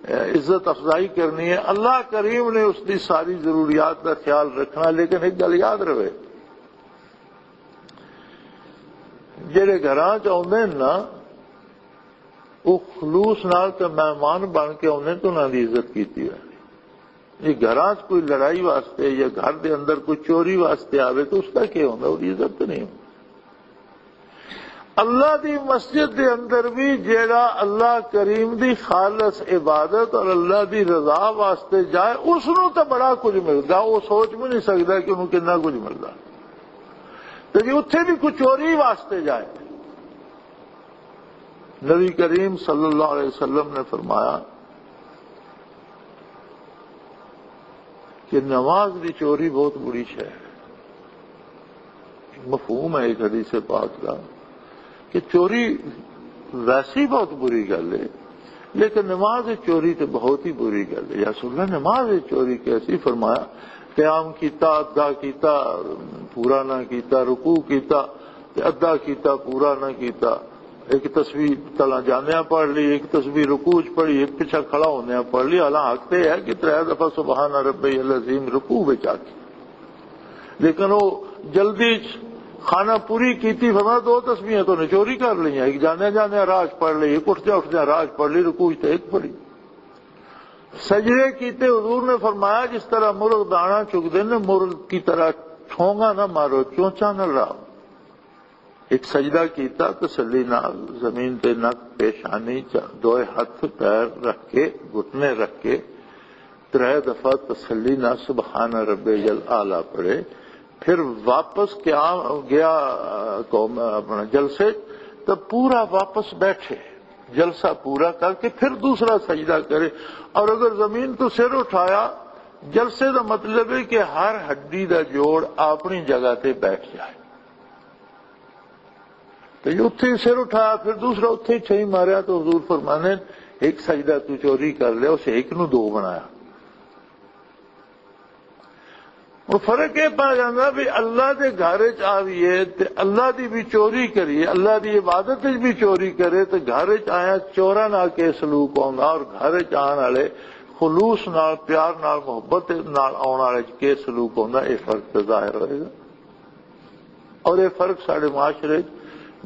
اے، عزت افزائی کرنی ہے، اللہ کریم نے اس دی ساری ضروریات دا خیال رکھنا۔ لیکن ایک گل یاد رہے، جڑے گھراں چ آوندے نے نا، وہ خلوص نال تے مہمان بن کے آوندے تے انہاں دی عزت کیتی ہوئی۔ یہ گھراں چ کوئی لڑائی واسطے یا گھر دے اندر کوئی چوری واسطے آوے تو اس دا کیا ہوندا؟ وہ عزت تے نہیں ہوندا۔ اللہ دی مسجد دے اندر بھی جیڑا اللہ کریم دی خالص عبادت اور اللہ دی رضا واسطے جائے، اس نوں تے بڑا کچھ ملدا، وہ سوچ بھی نہیں سکدا کہ انہوں کتنا کچھ ملدا۔ تے جی اتھے بھی کوئی چوری واسطے جائے، نبی کریم صلی اللہ علیہ وسلم نے فرمایا کہ نماز دی چوری بہت بری شے ہے۔ مفہوم ہے اس حدیث پاک کا کہ چوری ویسی بہت بری گل ہے، لیکن نماز دی چوری تو بہت ہی بری گل ہے۔ یا رسول اللہ، نماز دی چوری کیسی؟ فرمایا، قیام کیتا، ادا کیتا، پورا نہ کیتا، رکوع کیتا، تے ادا کیتا، پورا نہ کیتا، ایک تسبیح تلا جاندیاں پڑھ لی، ایک تسبیح رکوع چ پڑھی، ایک پچھا کھڑا ہوندیاں پڑھ لی۔ حالانکہ حق تے ہے کہ ترے دفعہ سبحان ربی العظیم رکوع وچ آ کے، لیکن وہ جلدی چ خانہ پوری کیتی، فرمایا دو تسبیحاں تو نے چوری کر لیا، ایک جاندیاں جاندیاں راج پڑھ لی، ایک اٹھدیاں اٹھدیاں راج پڑھ لی، رکوع چ تے ایک پڑھی۔ سجدے کیتے، حضور نے فرمایا جس طرح مرغ دانا چگدے نے، مرغ کی طرح ٹھونگا نہ مارو، چونچا نہ لاؤ۔ ایک سجدہ کیتا تسلی نال، زمین تے نک، پیشانی، چا-، دوئے ہتھ پیر رکھ کے، گھٹنے رکھ کے، ترے دفعہ تسلی نال سبحان ربی الاعلیٰ پڑھے۔ پھر واپس کیا گیا، آ، قوم، اپنا جلسے، تو پورا واپس بیٹھے، جلسہ پورا کر کے پھر دوسرا سجدہ کرے۔ اور اگر زمین تو سر اٹھایا، جلسے دا مطلب ہے کہ ہر ہڈی دا جوڑ اپنی جگہ تے بیٹھ جائے۔ تو یہ اتھے ہی سر اٹھایا، پھر دوسرا اتھے ہی چھئی ماریا، تو حضور فرمانے، ایک سجدہ تو چوری کر لیا، اسے ایک نو دو بنایا۔ وہ فرق یہ پا جانا بھی اللہ دے گھر چ آویے تے اللہ دی بھی چوری کریے، اللہ دی عبادت وچ بھی چوری کرے، تے گھر چ آیا چوراں نال کے سلوک ہوندا اور گھر چ آن والے خلوص نال، پیار نال، محبت نال آن والے چ کے سلوک ہوندا، یہ فرق تے ظاہر ہوئے گا۔ اور یہ فرق ساڈے معاشرے چ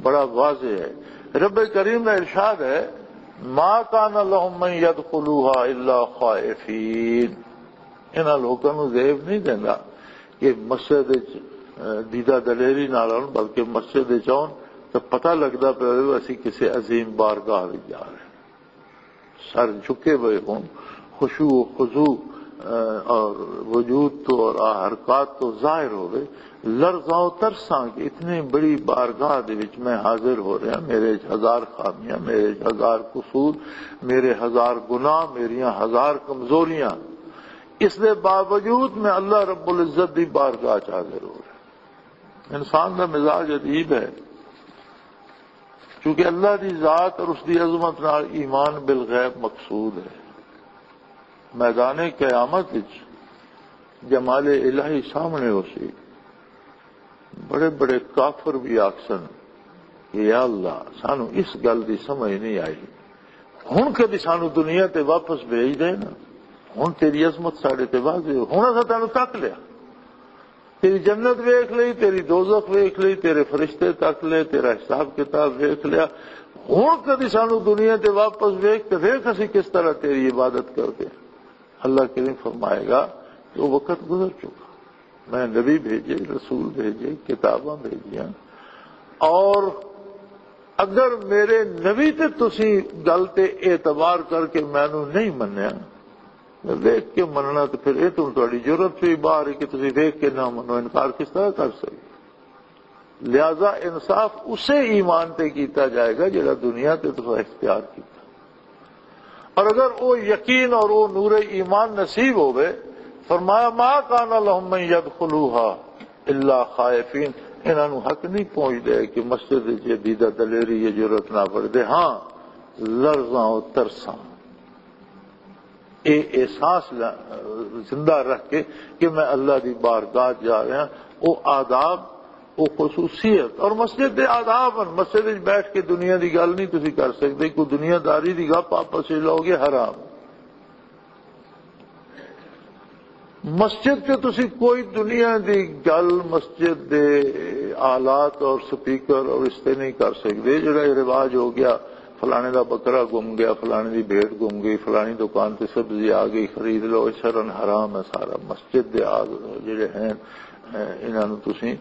بڑا واضح ہے۔ رب کریم کا ارشاد ہے، "ما کان لهم من يدخلوها الا خائفین۔" انہاں لوکاں نوں زیب نہیں دیندا کہ مسجد وچ، اے، دیدہ دلیری نال آؤن، بلکہ مسجد وچ آؤن تو پتہ لگدا پیا ہوئے اسی کسی عظیم بارگاہ وچ جا رہے ہیں۔ سر جھکے ہوئے ہون، خشوع و خضوع، اے، اور وجود تو اور آ حرکات تو ظاہر ہوئے، لرزاں و ترساں کہ اتنی بڑی بارگاہ دے وچ میں حاضر ہو رہا، میرے وچ ہزار خامیاں، میرے وچ ہزار قصور، میرے ہزار گناہ، میریاں ہزار کمزوریاں، اس دے باوجود میں اللہ رب العزت دی بارگاہ چ حاضر ہو رہا۔ انسان دا مزاج عجیب ہے، کیونکہ اللہ دی ذات اور اس دی عظمت نال ایمان بالغیب مقصود ہے۔ میدان قیامت وچ جمال الہی سامنے ہو سی، بڑے بڑے کافر بھی آکسن کہ یا اللہ، سانو اس گل دی سمجھ نہیں آئی، ہن کدی سانو دنیا تے واپس بھیج دے نا، ہن تیری عظمت ساڈے تے واضح ہو، ہن اساں تینوں تک لیا، تیری جنت ویکھ لئی، تیری دوزخ ویکھ لئی، تیرے فرشتے تک لے، تیرا حساب کتاب ویکھ لیا، ہن کدی سانو دنیا تے واپس ویکھ تے ویکھ اسی کس طرح تیری عبادت کردے ہیں۔ اللہ کریم فرمائے گا کہ وہ وقت گزر چکا، میں نبی بھیجے، رسول بھیجے، کتاباں بھیجیاں، اور اگر میرے نبی تے تسی گل تے اعتبار کر کے مینوں نہیں منیا، میں ویکھ کے مننا، تو پھر یہ تو تہاڈی جرت سے ہی باہر ہے کہ تسی ویکھ کے نہ منو، انکار کس طرح کر سکتے؟ لہذا انصاف اسے ایمان تے کیتا جائے گا جڑا دنیا تے تساں اختیار کیتا۔ اور اگر وہ یقین اور وہ نور ایمان نصیب ہوئے، فرمایا، "ما کان لهم من يدخلوها الا خائفین۔" انہاں نوں حق نہیں پہنچدے کہ مسجد وچ یہ دیدہ دلیری، یہ جرت نہ پڑھ دے۔ ہاں، لرزاں و ترساں، اے احساس ل-، زندہ رکھ کے کہ میں اللہ دی بارگاہ جا رہا، او آداب، او خصوصیت۔ اور مسجد دے آداب ہن، مسجد وچ بیٹھ کے دنیا دی گل نہیں تسی کر سکدے، کوئی دنیا داری دی گپ آپس وچ لو گے، حرام۔ مسجد چ تسی کوئی دنیا دی گل مسجد دے آلات اور سپیکر اور اس تے نہیں کر سکدے۔ جڑا یہ رواج ہو گیا، فلانے دا بکرا گم گیا، فلانے دی بھیڑ گم گئی، فلانی دکان تے سبزی آ گئی، خرید لو، یہ سرن حرام ہے سارا۔ مسجد دے آ-، جڑے ہیں، انہاں نوں تسی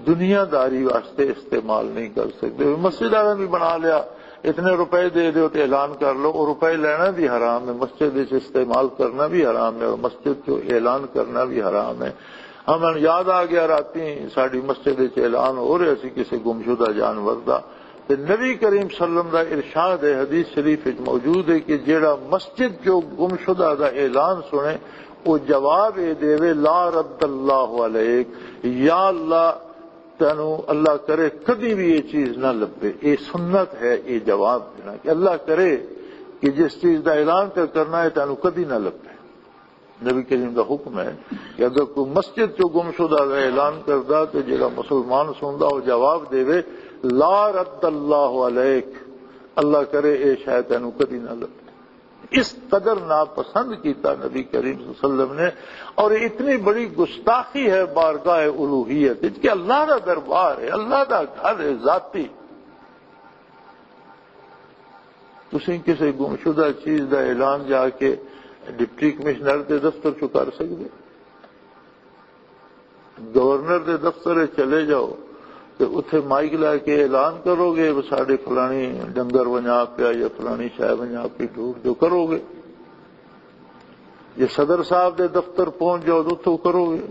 دنیا داری واسطے استعمال نہیں کر سکدے۔ مسجد والے بھی بنا لیا، اتنے روپے دے دیو تے اعلان کر لو، اور روپے لینا بھی حرام ہے، مسجد وچ استعمال کرنا بھی حرام ہے، اور مسجد چوں اعلان کرنا بھی حرام ہے۔ ہمیں یاد آ گیا، راتی ساڈی مسجد وچ اعلان ہو رہا سی کسی گمشدہ جانور دا، تے نبی کریم صلی اللہ علیہ وسلم دا ارشاد ہے، حدیث شریف وچ موجود ہے کہ جیڑا مسجد چوں گمشدہ دا اعلان سنے، او جواب اے دے، "لا رد اللہ علیک"، یا اللہ، تینوں اللہ کرے کدی بھی یہ چیز نہ لبے۔ یہ سنت ہے، یہ جواب دینا کہ اللہ کرے کہ جس چیز دا اعلان کر کرنا ہے، تینوں کدی نہ لبے۔ نبی کریم دا حکم ہے کہ اگر کوئی مسجد چوں گمشدہ دا اعلان کردا، تو جڑا مسلمان سندا، وہ جواب دے، لا رد اللہ علیک، اللہ کرے اے شاید تینوں کدی نہ لبھے۔ اس قدر ناپسند کیتا نبی کریم صلی اللہ علیہ وسلم نے، اور اتنی بڑی گستاخی ہے بارگاہ الوہیت وچ کہ اللہ دا دربار ہے، اللہ دا گھر ہے ذاتی۔ تسیں کسی گمشدہ چیز دا اعلان جا کے ڈپٹی کمشنر دے دفتر چ کر سکدے؟ گورنر دے دفتر چلے جاؤ تے اتھے مائک لا کے اعلان کرو گے، "ساڈے فلانی ڈنگر ونجا پیا یا فلانی شے ونجا پی"، ڈھونڈ جو کرو گے۔ جے صدر صاحب دے دفتر پہنچ جاؤ تو اتھوں کرو گے۔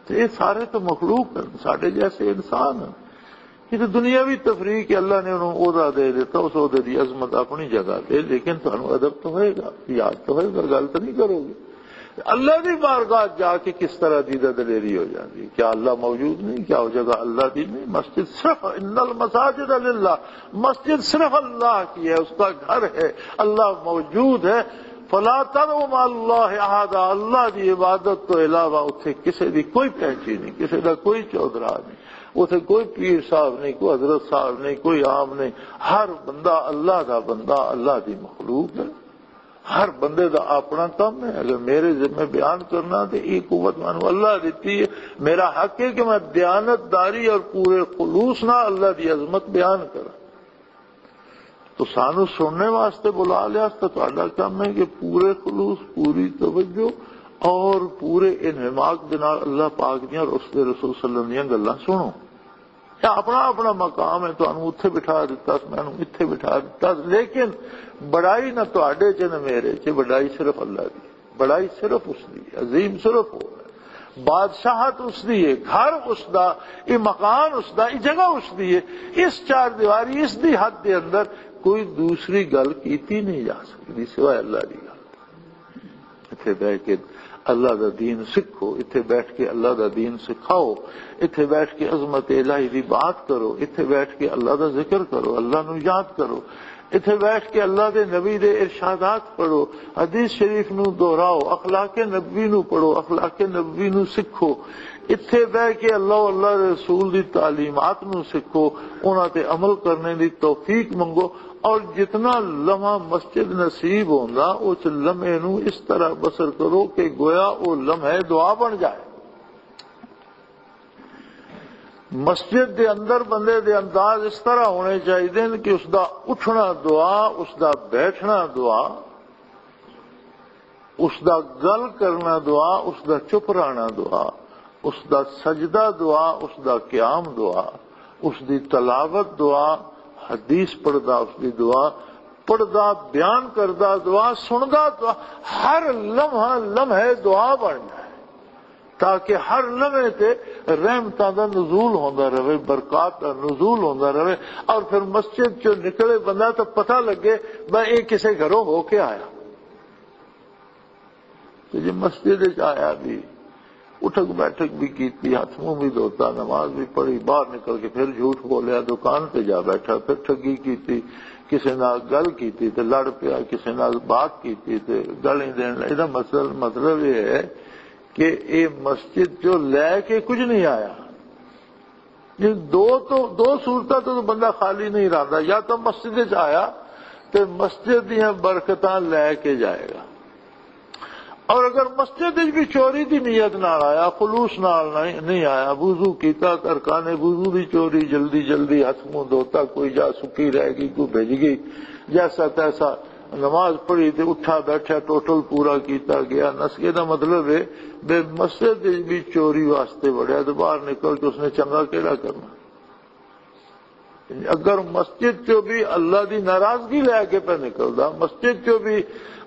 تے یہ سارے تو مخلوق ہیں، ساڈے جیسے انسان ہیں۔ یہ تو دنیاوی تفریح کہ اللہ نے انہوں عہدہ دے دیتا، اس عہدے دی عظمت اپنی جگہ تے، لیکن تانوں ادب تو ہوئے گا، یاد تو ہوئے گا، گل تو نہیں کرو گے۔ اللہ دی بارگاہ جا کے کس طرح دی دلیری ہو جاندی؟ کیا اللہ موجود نہیں؟ کیا وہ جگہ اللہ دی نہیں؟ مسجد صرف، ان المساجد للہ، مسجد صرف اللہ کی ہے، اس کا گھر ہے، اللہ موجود ہے۔ فلا تدعوا مع اللہ احدا، اللہ دی عبادت تو علاوہ اتھے کسے دی کوئی پینچی نہیں، کسے دا کوئی چودھرا نہیں، اتھے کوئی پیر صاحب نہیں، کوئی حضرت صاحب نہیں، کوئی عام نہیں۔ ہر بندہ اللہ دا بندہ، اللہ دی مخلوق ہے۔ ہر بندے دا اپنا کام ہے۔ اگر میرے ذمہ بیان کرنا تو یہ قوت مینوں اللہ دیتی ہے، میرا حق ہے کہ میں دیانت داری اور پورے خلوص نال اللہ دی عظمت بیان کراں۔ تو سانو سننے واسطے بلا لیا، تو تہاڈا کام ہے کہ پورے خلوص، پوری توجہ اور پورے انہماک دے نال اللہ پاک دیاں اور اس دے رسول صلی اللہ علیہ وسلم دیاں گلاں سنو۔ یہ اپنا اپنا مقام ہے، تانوں اتھے بٹھا دتا، مینوں اتھے بٹھا دتا، لیکن بڑائی نہ تہاڈے چ نہ میرے چ، بڑائی صرف اللہ دی، بڑائی صرف اس دی، عظیم صرف وہ ہے، بادشاہت اس دی ہے، گھر اس دا، یہ مکان اس دا، یہ جگہ اس دی ہے۔ اس چار دیواری، اس دی حد دے اندر کوئی دوسری گل کیتی نہیں جا سکتی سوائے اللہ دی گل۔ اتھے بیٹھ کے اللہ دا دین سکھو، اتھے بیٹھ کے اللہ دا دین سکھاؤ، اتھے بیٹھ کے عظمت الہی دی بات کرو، اتھے بیٹھ کے اللہ دا ذکر کرو، اللہ نو یاد کرو، اتھے بیٹھ کے اللہ دے نبی دے ارشادات پڑھو، حدیث شریف نو دہراؤ، اخلاق نبوی نو پڑھو، اخلاق نبوی نو سکھو۔ اتھے بیٹھ کے اللہ، اللہ دے رسول دی تعلیمات نو سکھو، انہاں تے عمل کرنے دی توفیق منگو۔ اور جتنا لمحہ مسجد نصیب ہوندا، اس لمحے نو اس طرح بسر کرو کہ گویا او لمحے دعا بن جائے۔ مسجد دے اندر بندے دے انداز اس طرح ہونے چاہیے کہ اس دا اٹھنا دعا، اس دا بیٹھنا دعا، اس دا گل کرنا دعا، اس دا چپ رہنا دعا، اس دا سجدہ دعا، اس دا قیام دعا، اس دی تلاوت دعا، حدیث پڑھدا اس دی دعا، پڑھدا بیان کردا دعا، سندا دعا، ہر لمحہ لمحے دعا بن جائے، تاکہ ہر لمحے تے رحمتاں دا نزول ہوندا رہے، برکات دا نزول ہوندا رہے، اور پھر مسجد چوں نکلے بندہ تو پتہ لگے، میں یہ کسے گھروں ہو کے آیا۔ تے جے مسجد وچ آیا بھی، اٹھک بیٹھک بھی کیتی، ہاتھ منہ بھی دھوتا، نماز بھی پڑھی، باہر نکل کے پھر جھوٹ بولیا، دکان تے جا بیٹھا، پھر ٹھگی کیتی، کسے نال گل کیتی تے لڑ پیا، کسے نال بات کیتی تے گالی دین لگا۔ ایدا مطلب، مطلب یہ ہے کہ یہ مسجد جو لے کے کچھ نہیں آیا۔ یہ دو تو، دو صورتاں تو بندہ خالی نہیں رہندا، یا تو مسجد وچ آیا تے مسجد دیاں برکتاں لے کے جائے گا، اور اگر مسجد وچ بھی چوری دی نیت نال آیا، خلوص نال نہیں، نہیں آیا، وضو کیتا، ارکان وضو دی چوری، جلدی جلدی ہاتھ منہ دھوتا، کوئی جا سکی رہ گئی، کوئی بھج گئی، جیسا تیسا نماز پڑھی تے اٹھا بیٹھا، ٹوٹل پورا کیتا گیا، نس گیا۔ دا مطلب ہے بے مسجد وچ بھی چوری واسطے وڑیا تے باہر نکل کے اس نے چنگا کیڑا کرنا؟ اگر مسجد چوں بھی اللہ دی ناراضگی لے کے پہ نکلدا، مسجد چوں بھی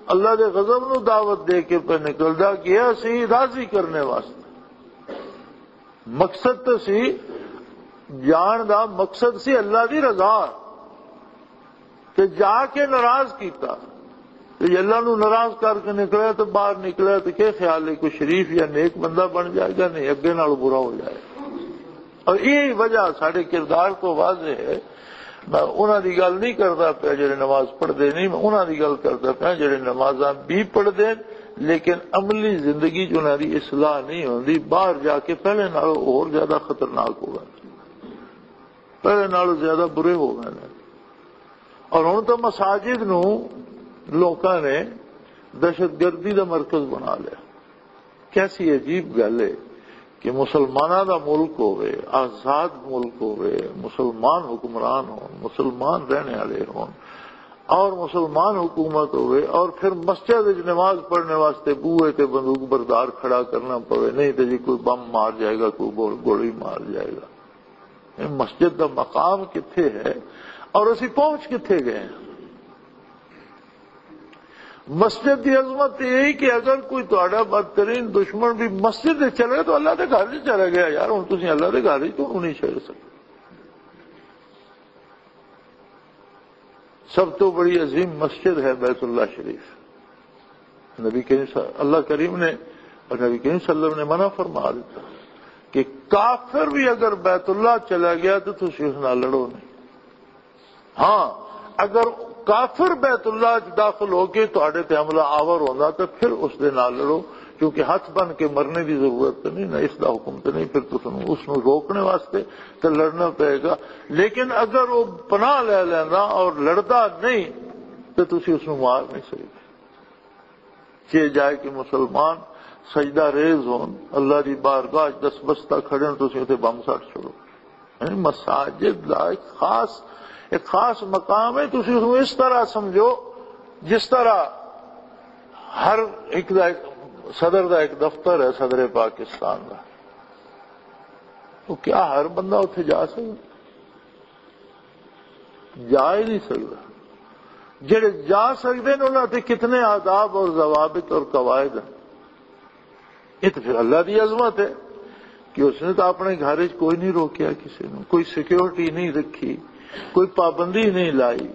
اللہ دے غضب نو دعوت دے کے پہ نکلدا، گیا سی راضی کرنے واسطے۔ مقصد تو سی، جان دا مقصد سی اللہ دی رضا۔ تے جا کے ناراض کیتا۔ تے اللہ نو ناراض کر کے نکلیا، تے باہر نکلیا، تے کیا خیال ہے، کوئی شریف یا نیک بندہ بن جائے گا؟ نہیں، اگے نال برا ہو جائے۔ اور یہی وجہ ساڈے کردار تو واضح ہے۔ میں انہاں دی گل نہیں کردا پیا جڑے نماز پڑھدے نہیں، میں انہاں دی گل کردا پیا جڑے نمازاں بھی پڑھدے، لیکن عملی زندگی چ انہاں دی اصلاح نہیں ہوندی، باہر جا کے پہلے نال اور زیادہ خطرناک ہو گئے۔ پہلے نالوں زیادہ برے ہو گئے نے۔ اور ہن تو مساجد نو لوکاں نے دہشت گردی دا مرکز بنا لیا۔ کیسی عجیب گل ہے کہ مسلماناں دا ملک ہوئے، آزاد ملک ہوئے، مسلمان حکمران ہون، مسلمان رہنے والے ہون اور مسلمان حکومت ہوئے اور پھر مسجد وچ نماز پڑھنے واسطے بوئے تے بندوق بردار کھڑا کرنا پوے، نہیں تے جی کوئی بم مار جائے گا، کوئی گول-، گولی مار جائے گا۔ یہ مسجد دا مقام کتھے ہے اور اسی پہنچ کتھے گئے ہیں؟ مسجد دی عظمت یہی کہ اگر کوئی تہاڈا بدترین دشمن بھی مسجد دے چلے تو اللہ دے گھر چ چلا گیا۔ یار، ہن تسی اللہ دے گھر چ تو نہیں چل سکتے۔ سب تو بڑی عظیم مسجد ہے بیت اللہ شریف۔ نبی کریم صلی اللہ کریم نے اور نبی کریم صلی اللہ علیہ وسلم نے منع فرما دیتا کہ کافر بھی اگر بیت اللہ چلا گیا تو تسی اس نال لڑو نہیں۔ ہاں، اگر کافر بیت اللہ چ داخل ہو کے تہاڈے تے حملہ آور ہوندا تو پھر اس دے نال لڑو، کیونکہ ہاتھ بن کے مرنے دی ضرورت تے نہیں، نہ اس دا حکم تے نہیں، پھر تساں اس نوں روکنے واسطے تے لڑنا پئے گا۔ لیکن اگر وہ پناہ لے لیندا اور لڑدا نہیں تو تسی اس نوں مار نہیں سکدے۔ چے جائے کہ مسلمان سجدہ ریز ہون، اللہ دی بارگاہ چ دستبستہ کھڑے ہون، تسی اتھے بم سٹ چھوڑو۔ یعنی مساجد دا ایک خاص، ایک خاص مقام ہے۔ تسی اس نوں اس طرح سمجھو جس طرح ہر ایک دا ایک صدر دا ایک دفتر ہے، صدر پاکستان دا۔ تو کیا ہر بندہ اتھے جا سکتا؟ جا ہی نہیں سکتا۔ جڑے جا سکتے ہیں، انہاں تے کتنے آداب اور ضوابط اور قواعد ہیں۔ یہ تو پھر اللہ دی عظمت ہے کہ اس نے تو اپنے گھر وچ کوئی نہیں روکیا، کسی نے کوئی سیکیورٹی نہیں رکھی، کوئی پابندی نہیں لائی۔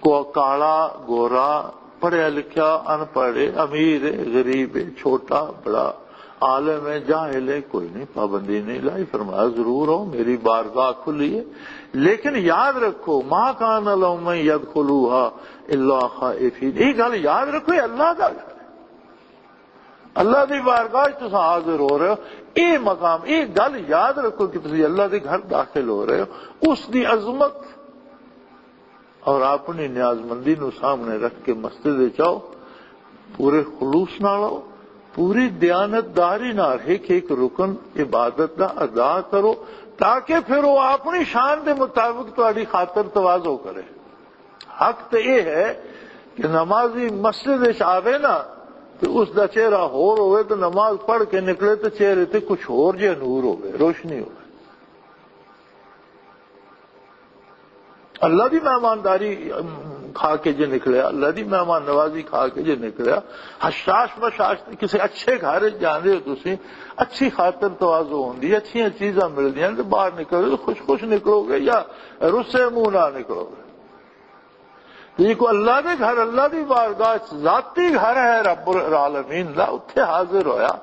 کو کالا، گورا، پڑھیا لکھیا، ان پڑھ، امیر، غریب، چھوٹا، بڑا، عالم ہے، جاہل ہے، کوئی نہیں، پابندی نہیں لائی۔ فرمایا، ضرور ہو، میری بارگاہ کھلی ہے، لیکن یاد رکھو، ما کان لهم ان يدخلوها الا خائفین۔ یہ گل یاد رکھو، یہ اللہ دا گھر ہے۔ اللہ دی بارگاہ وچ تساں حاضر ہو رہے ہو، یہ مقام، یہ گل یاد رکھو کہ تسی اللہ دے گھر داخل ہو رہے ہو۔ اس دی عظمت اور اپنی نیاز مندی نو سامنے رکھ کے مسجد وچ آؤ، پورے خلوص نال آؤ، پوری دیانت داری نال ایک ایک رکن عبادت دا ادا کرو، تاکہ پھر وہ اپنی شان دے مطابق تہاڈی خاطر تواضع کرے۔ حق تے یہ ہے کہ نمازی مسجد وچ آوے نا، تے اس دا چہرہ ہور ہوئے، تے نماز پڑھ کے نکلے تے چہرے تے کچھ ہور جے نور ہوئے، روشنی ہوئے۔ اللہ دی مہمانداری، ام، کھا کے جے نکلیا، اللہ دی مہمان نوازی کھا کے جے نکلیا، حشاش بشاش تے کسے اچھے گھر وچ جاندے ہو تسی، اچھی خاطر تواضع ہوندی، اچھیاں چیزاں ملدیاں تے باہر نکلو، خوش خوش نکلو گے یا رسے منہ نہ نکلو گے؟ تے یہ کوئی اللہ دے گھر، اللہ دی بارگاہ، ذاتی گھر ہے رب العالمین دا، اتھے حاضر ہویا،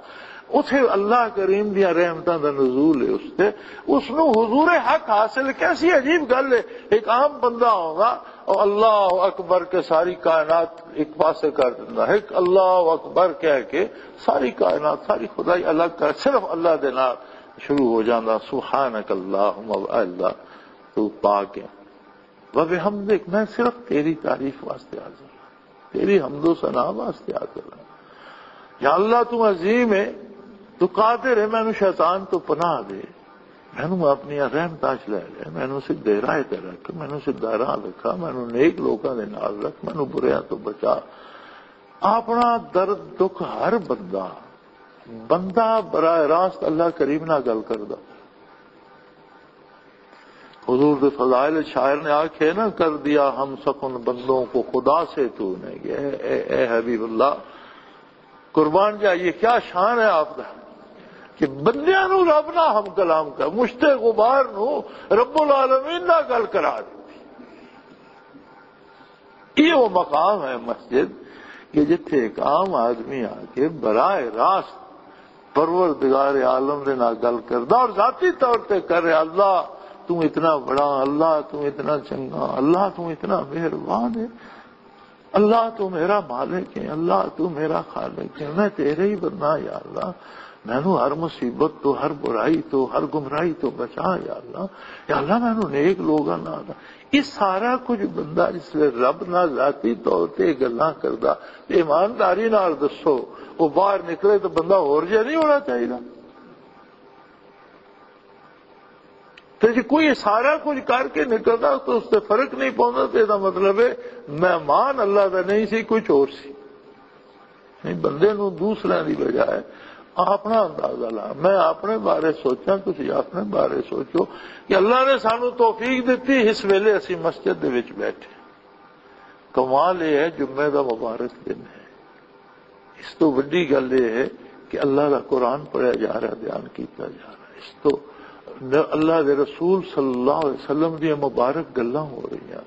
اتھے اللہ کریم دیاں رحمتاں دا نزول ہے اس تے، اس نو حضور حق حاصل۔ کیسی عجیب گل ہے، ایک عام بندہ ہوگا اور اللہ اکبر کے ساری کائنات ایک پاسے کر دینا، ایک اللہ اکبر کہہ کے ساری کائنات، ساری خدائی الگ کر، صرف اللہ دے نال شروع ہو جانا، سبحانک اللہم، اللہ تو پاک ہے۔ وبحمدک، میں صرف تیری تعریف واسطے حاضر ہوں، تیری حمد و ثنا واسطے حاضر ہوں۔ یا اللہ، تو عظیم ہے، تو قادر ہے، مینوں شیطان تو پناہ دے، مینوں اپنی رحمتاں چ لے لے، مینوں سیدھے راہ تے رکھ، مینوں سیدھا راہ دکھا، مینوں نیک لوکاں دے نال رکھ، مینوں بریاں تو بچا۔ اپنا درد دکھ ہر بندہ، بندہ براہ راست اللہ کریم نال گل کردا۔ حضور دے فضائل شاعر نے آکھے نا، کر دیا ہم سخن بندوں کو خدا سے تو نے۔ اے، اے، اے حبیب اللہ، قربان جائیے، کیا شان ہے آپ دا کہ بندیاں نو رب نہ ہم کلام کر، مشت غبار نو رب العالمین نہ گل کرا دتی۔ یہ وہ مقام ہے مسجد کہ جتھے ایک عام آدمی آ کے براہ راست پروردگار عالم دے نال گل کردا اور ذاتی طور تے کر رہا، اللہ تو اتنا بڑا، اللہ تو اتنا چنگا، اللہ تو اتنا مہربان ہے۔ اللہ تو میرا مالک ہے، اللہ تو میرا خالق ہے، میں تیرے ہی بندہ، یا اللہ، مینوں ہر مصیبت تو، ہر برائی تو، ہر گمراہی تو بچا، یا اللہ۔ یا اللہ، مینوں نیک لوگاں نال۔ یہ سارا کچھ بندہ جس ویلے رب نال ذاتی طور تے گلاں کردا، ایمانداری نال دسو، وہ باہر نکلے تو بندہ ہور جہا نہیں ہونا چاہیے؟ تے جے کوئی سارا کچھ کر کے نکلدا تو اس تے فرق نہیں پوندا، تے دا مطلب ہے مہمان اللہ دا نہیں سی، کوئی چور سی۔ نہیں، بندے نوں دوسرے دی بجائے اپنا اندازہ لا۔ میں اپنے بارے سوچاں، تسی اپنے بارے سوچو کہ اللہ نے سانو توفیق دتی، اس ویلے اسی مسجد دے وچ بیٹھے۔ کمال یہ ہے، جمعے دا مبارک دن ہے۔ اس تو وڈی گل یہ ہے کہ اللہ دا قرآن پڑھیا جا رہا، بیان کیتا جا رہا۔ اس تو ن-، اللہ دے رسول صلی اللہ علیہ وسلم دیاں مبارک گلاں ہو رہی ہیں،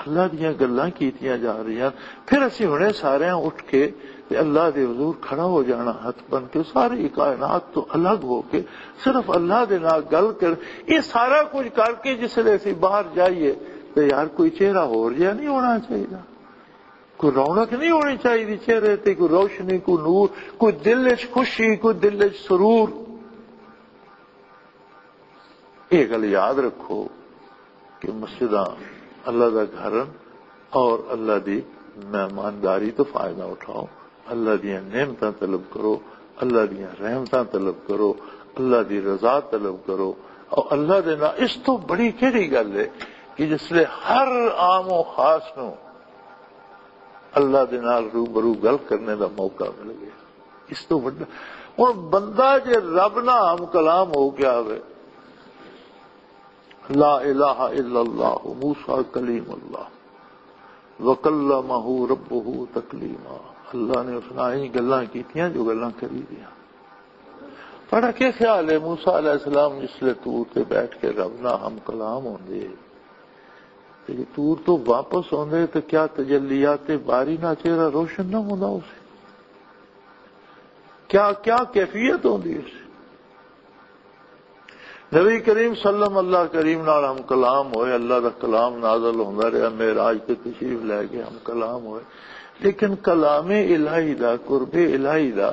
اللہ دیاں گلاں کیتیاں جا رہی ہیں۔ پھر اسی ہنے سارے اٹھ کے تے اللہ دے حضور کھڑا ہو جانا، ہاتھ بن کے، ساری کائنات تو الگ ہو کے صرف اللہ دے نال گل کر، یہ سارا کچھ کر کے جس ویلے اسی باہر جائیے تے یار، کوئی چہرہ ہور جہا نہیں ہونا چاہیے؟ کوئی رونق نہیں ہونی چاہیے چہرے تے؟ کوئی روشنی، کوئی نور، کوئی دل وچ خوشی، کوئی دل وچ سرور؟ یہ گل یاد رکھو کہ مسجداں اللہ دا گھر ہن اور اللہ دی مہمانداری تو فائدہ اٹھاؤ، اللہ دیاں نعمتاں طلب کرو، اللہ دیاں رحمتاں طلب کرو، اللہ دی رضا طلب کرو۔ اور اللہ دے نال اس تو بڑی کیڑی گل ہے کہ جس لے ہر عام و خاص نو اللہ دے نال روبرو گل کرنے دا موقع مل گیا؟ اس تو وڈا ہن بندہ جے رب نال ہم کلام ہو گیا ہوئے، لا الہ الا اللہ، موسیٰ کلیم اللہ، وکلمہ ربہ تکلیما، اللہ نے اس نال ہی گلاں کیتیاں جو گلاں کری دیاں۔ تہاڈا کیا خیال ہے، موسیٰ علیہ السلام جس لے طور تے بیٹھ کے رب نال ہم کلام ہوندے، تے جے طور تو واپس ہوندے تے کیا تجلیات باری نال چہرہ روشن نہ ہوندا اسے؟ کیا، کیا کیفیت ہوندی اسے؟ نبی کریم صلی اللہ، اللہ کریم نال ہم کلام ہوئے، اللہ دا کلام نازل ہوندا رہیا، معراج تے تشریف لے کے ہم کلام ہوئے۔ لیکن کلام الہی دا، قرب الہی دا،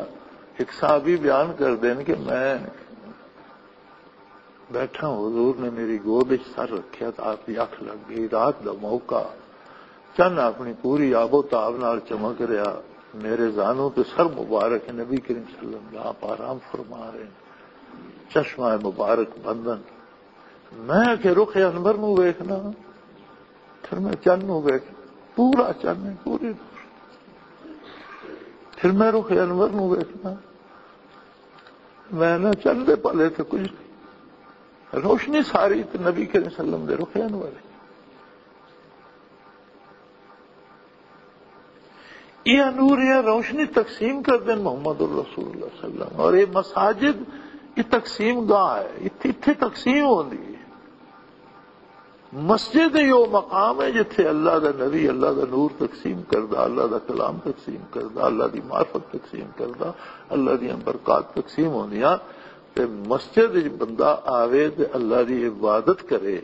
ایک صحابی بیان کر دین کہ میں بیٹھا، حضور نے میری گود وچ سر رکھیا تو آپ دی اکھ لگ گئی۔ رات دا موقع، چن اپنی پوری آب و تاب نال چمک رہیا۔ میرے زانو تے سر مبارک، نبی کریم صلی اللہ علیہ وسلم دا آپ آرام فرما رہے ہیں۔ چشمہ مبارک بندن۔ میں کہ رخ انور نو ویکھنا، پھر میں چن نو ویکھ، پورا چن ہے، پوری۔ پھر میں رخ انور نو ویکھنا، میں نہ چن دے پلے تے کچھ نہیں۔ روشنی ساری تے نبی کریم صلی اللہ علیہ وسلم دے رخ انور ہے۔ یہ نور، یہ روشنی تقسیم کر دین محمد الرسول اللہ صلی اللہ علیہ وسلم۔ اور یہ مساجد، یہ تقسیم گاہ ہے، اتھے، اتھے تقسیم ہوندی ہے۔ مسجد یہ وہ مقام ہے جتھے اللہ دا نبی اللہ دا نور تقسیم کردا، اللہ دا کلام تقسیم کردا، اللہ دی معرفت تقسیم کردا، اللہ دیاں برکات تقسیم ہوندیاں۔ تے مسجد وچ بندہ آوے تے اللہ دی عبادت کرے۔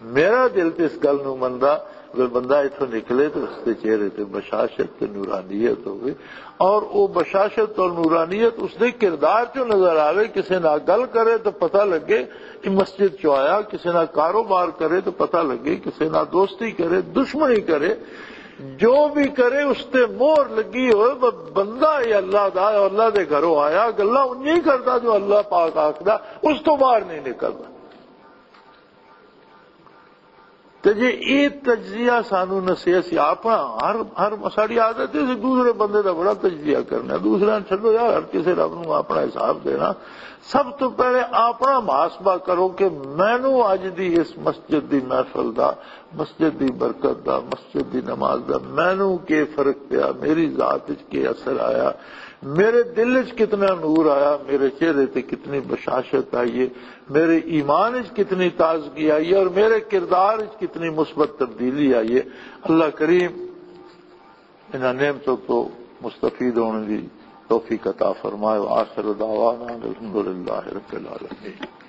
میرا دل تے اس گل نو مندا، اگر بندہ اتھوں نکلے تو اس دے چہرے تے بشاشت تے نورانیت ہوئے، اور وہ بشاشت اور نورانیت اس دے کردار چوں نظر آوے۔ کسے نال گل کرے تو پتہ لگے کہ مسجد چوں آیا، کسے نال کاروبار کرے تو پتہ لگے، کسے نال دوستی کرے، دشمنی کرے، جو بھی کرے، اس تے مہر لگی ہوئے، ب-، بندہ یہ اللہ دا، اللہ دے گھروں آیا، گلاں انجی کردا جو اللہ پاک آکھدا، اس تو باہر نہیں نکلدا۔ تے جے اے تجزیہ سانو نسے، اسی اپنا ہر، ہر ساڈی عادت ہے، اسی دوسرے بندے دا بڑا تجزیہ کرنا، دوسرے نوں چھڈو یار، ہر کسے رب نوں اپنا حساب دینا۔ سب تو پہلے اپنا محاسبہ کرو کہ مینوں اج دی اس مسجد دی محفل دا، مسجد دی برکت دا، مسجد دی نماز دا مینوں کی فرق پیا، میری ذات وچ کی اثر آیا، میرے دل وچ کتنا نور آیا، میرے چہرے تے کتنی بشاشت آئی ہے، میرے ایمان وچ کتنی تازگی آئی ہے اور میرے کردار وچ کتنی مثبت تبدیلی آئی ہے۔ اللہ کریم انہاں نعمتوں تو مستفید ہونے دی توفیق عطا فرمائے۔ وآخر دعوانا الحمدللہ رب العالمین۔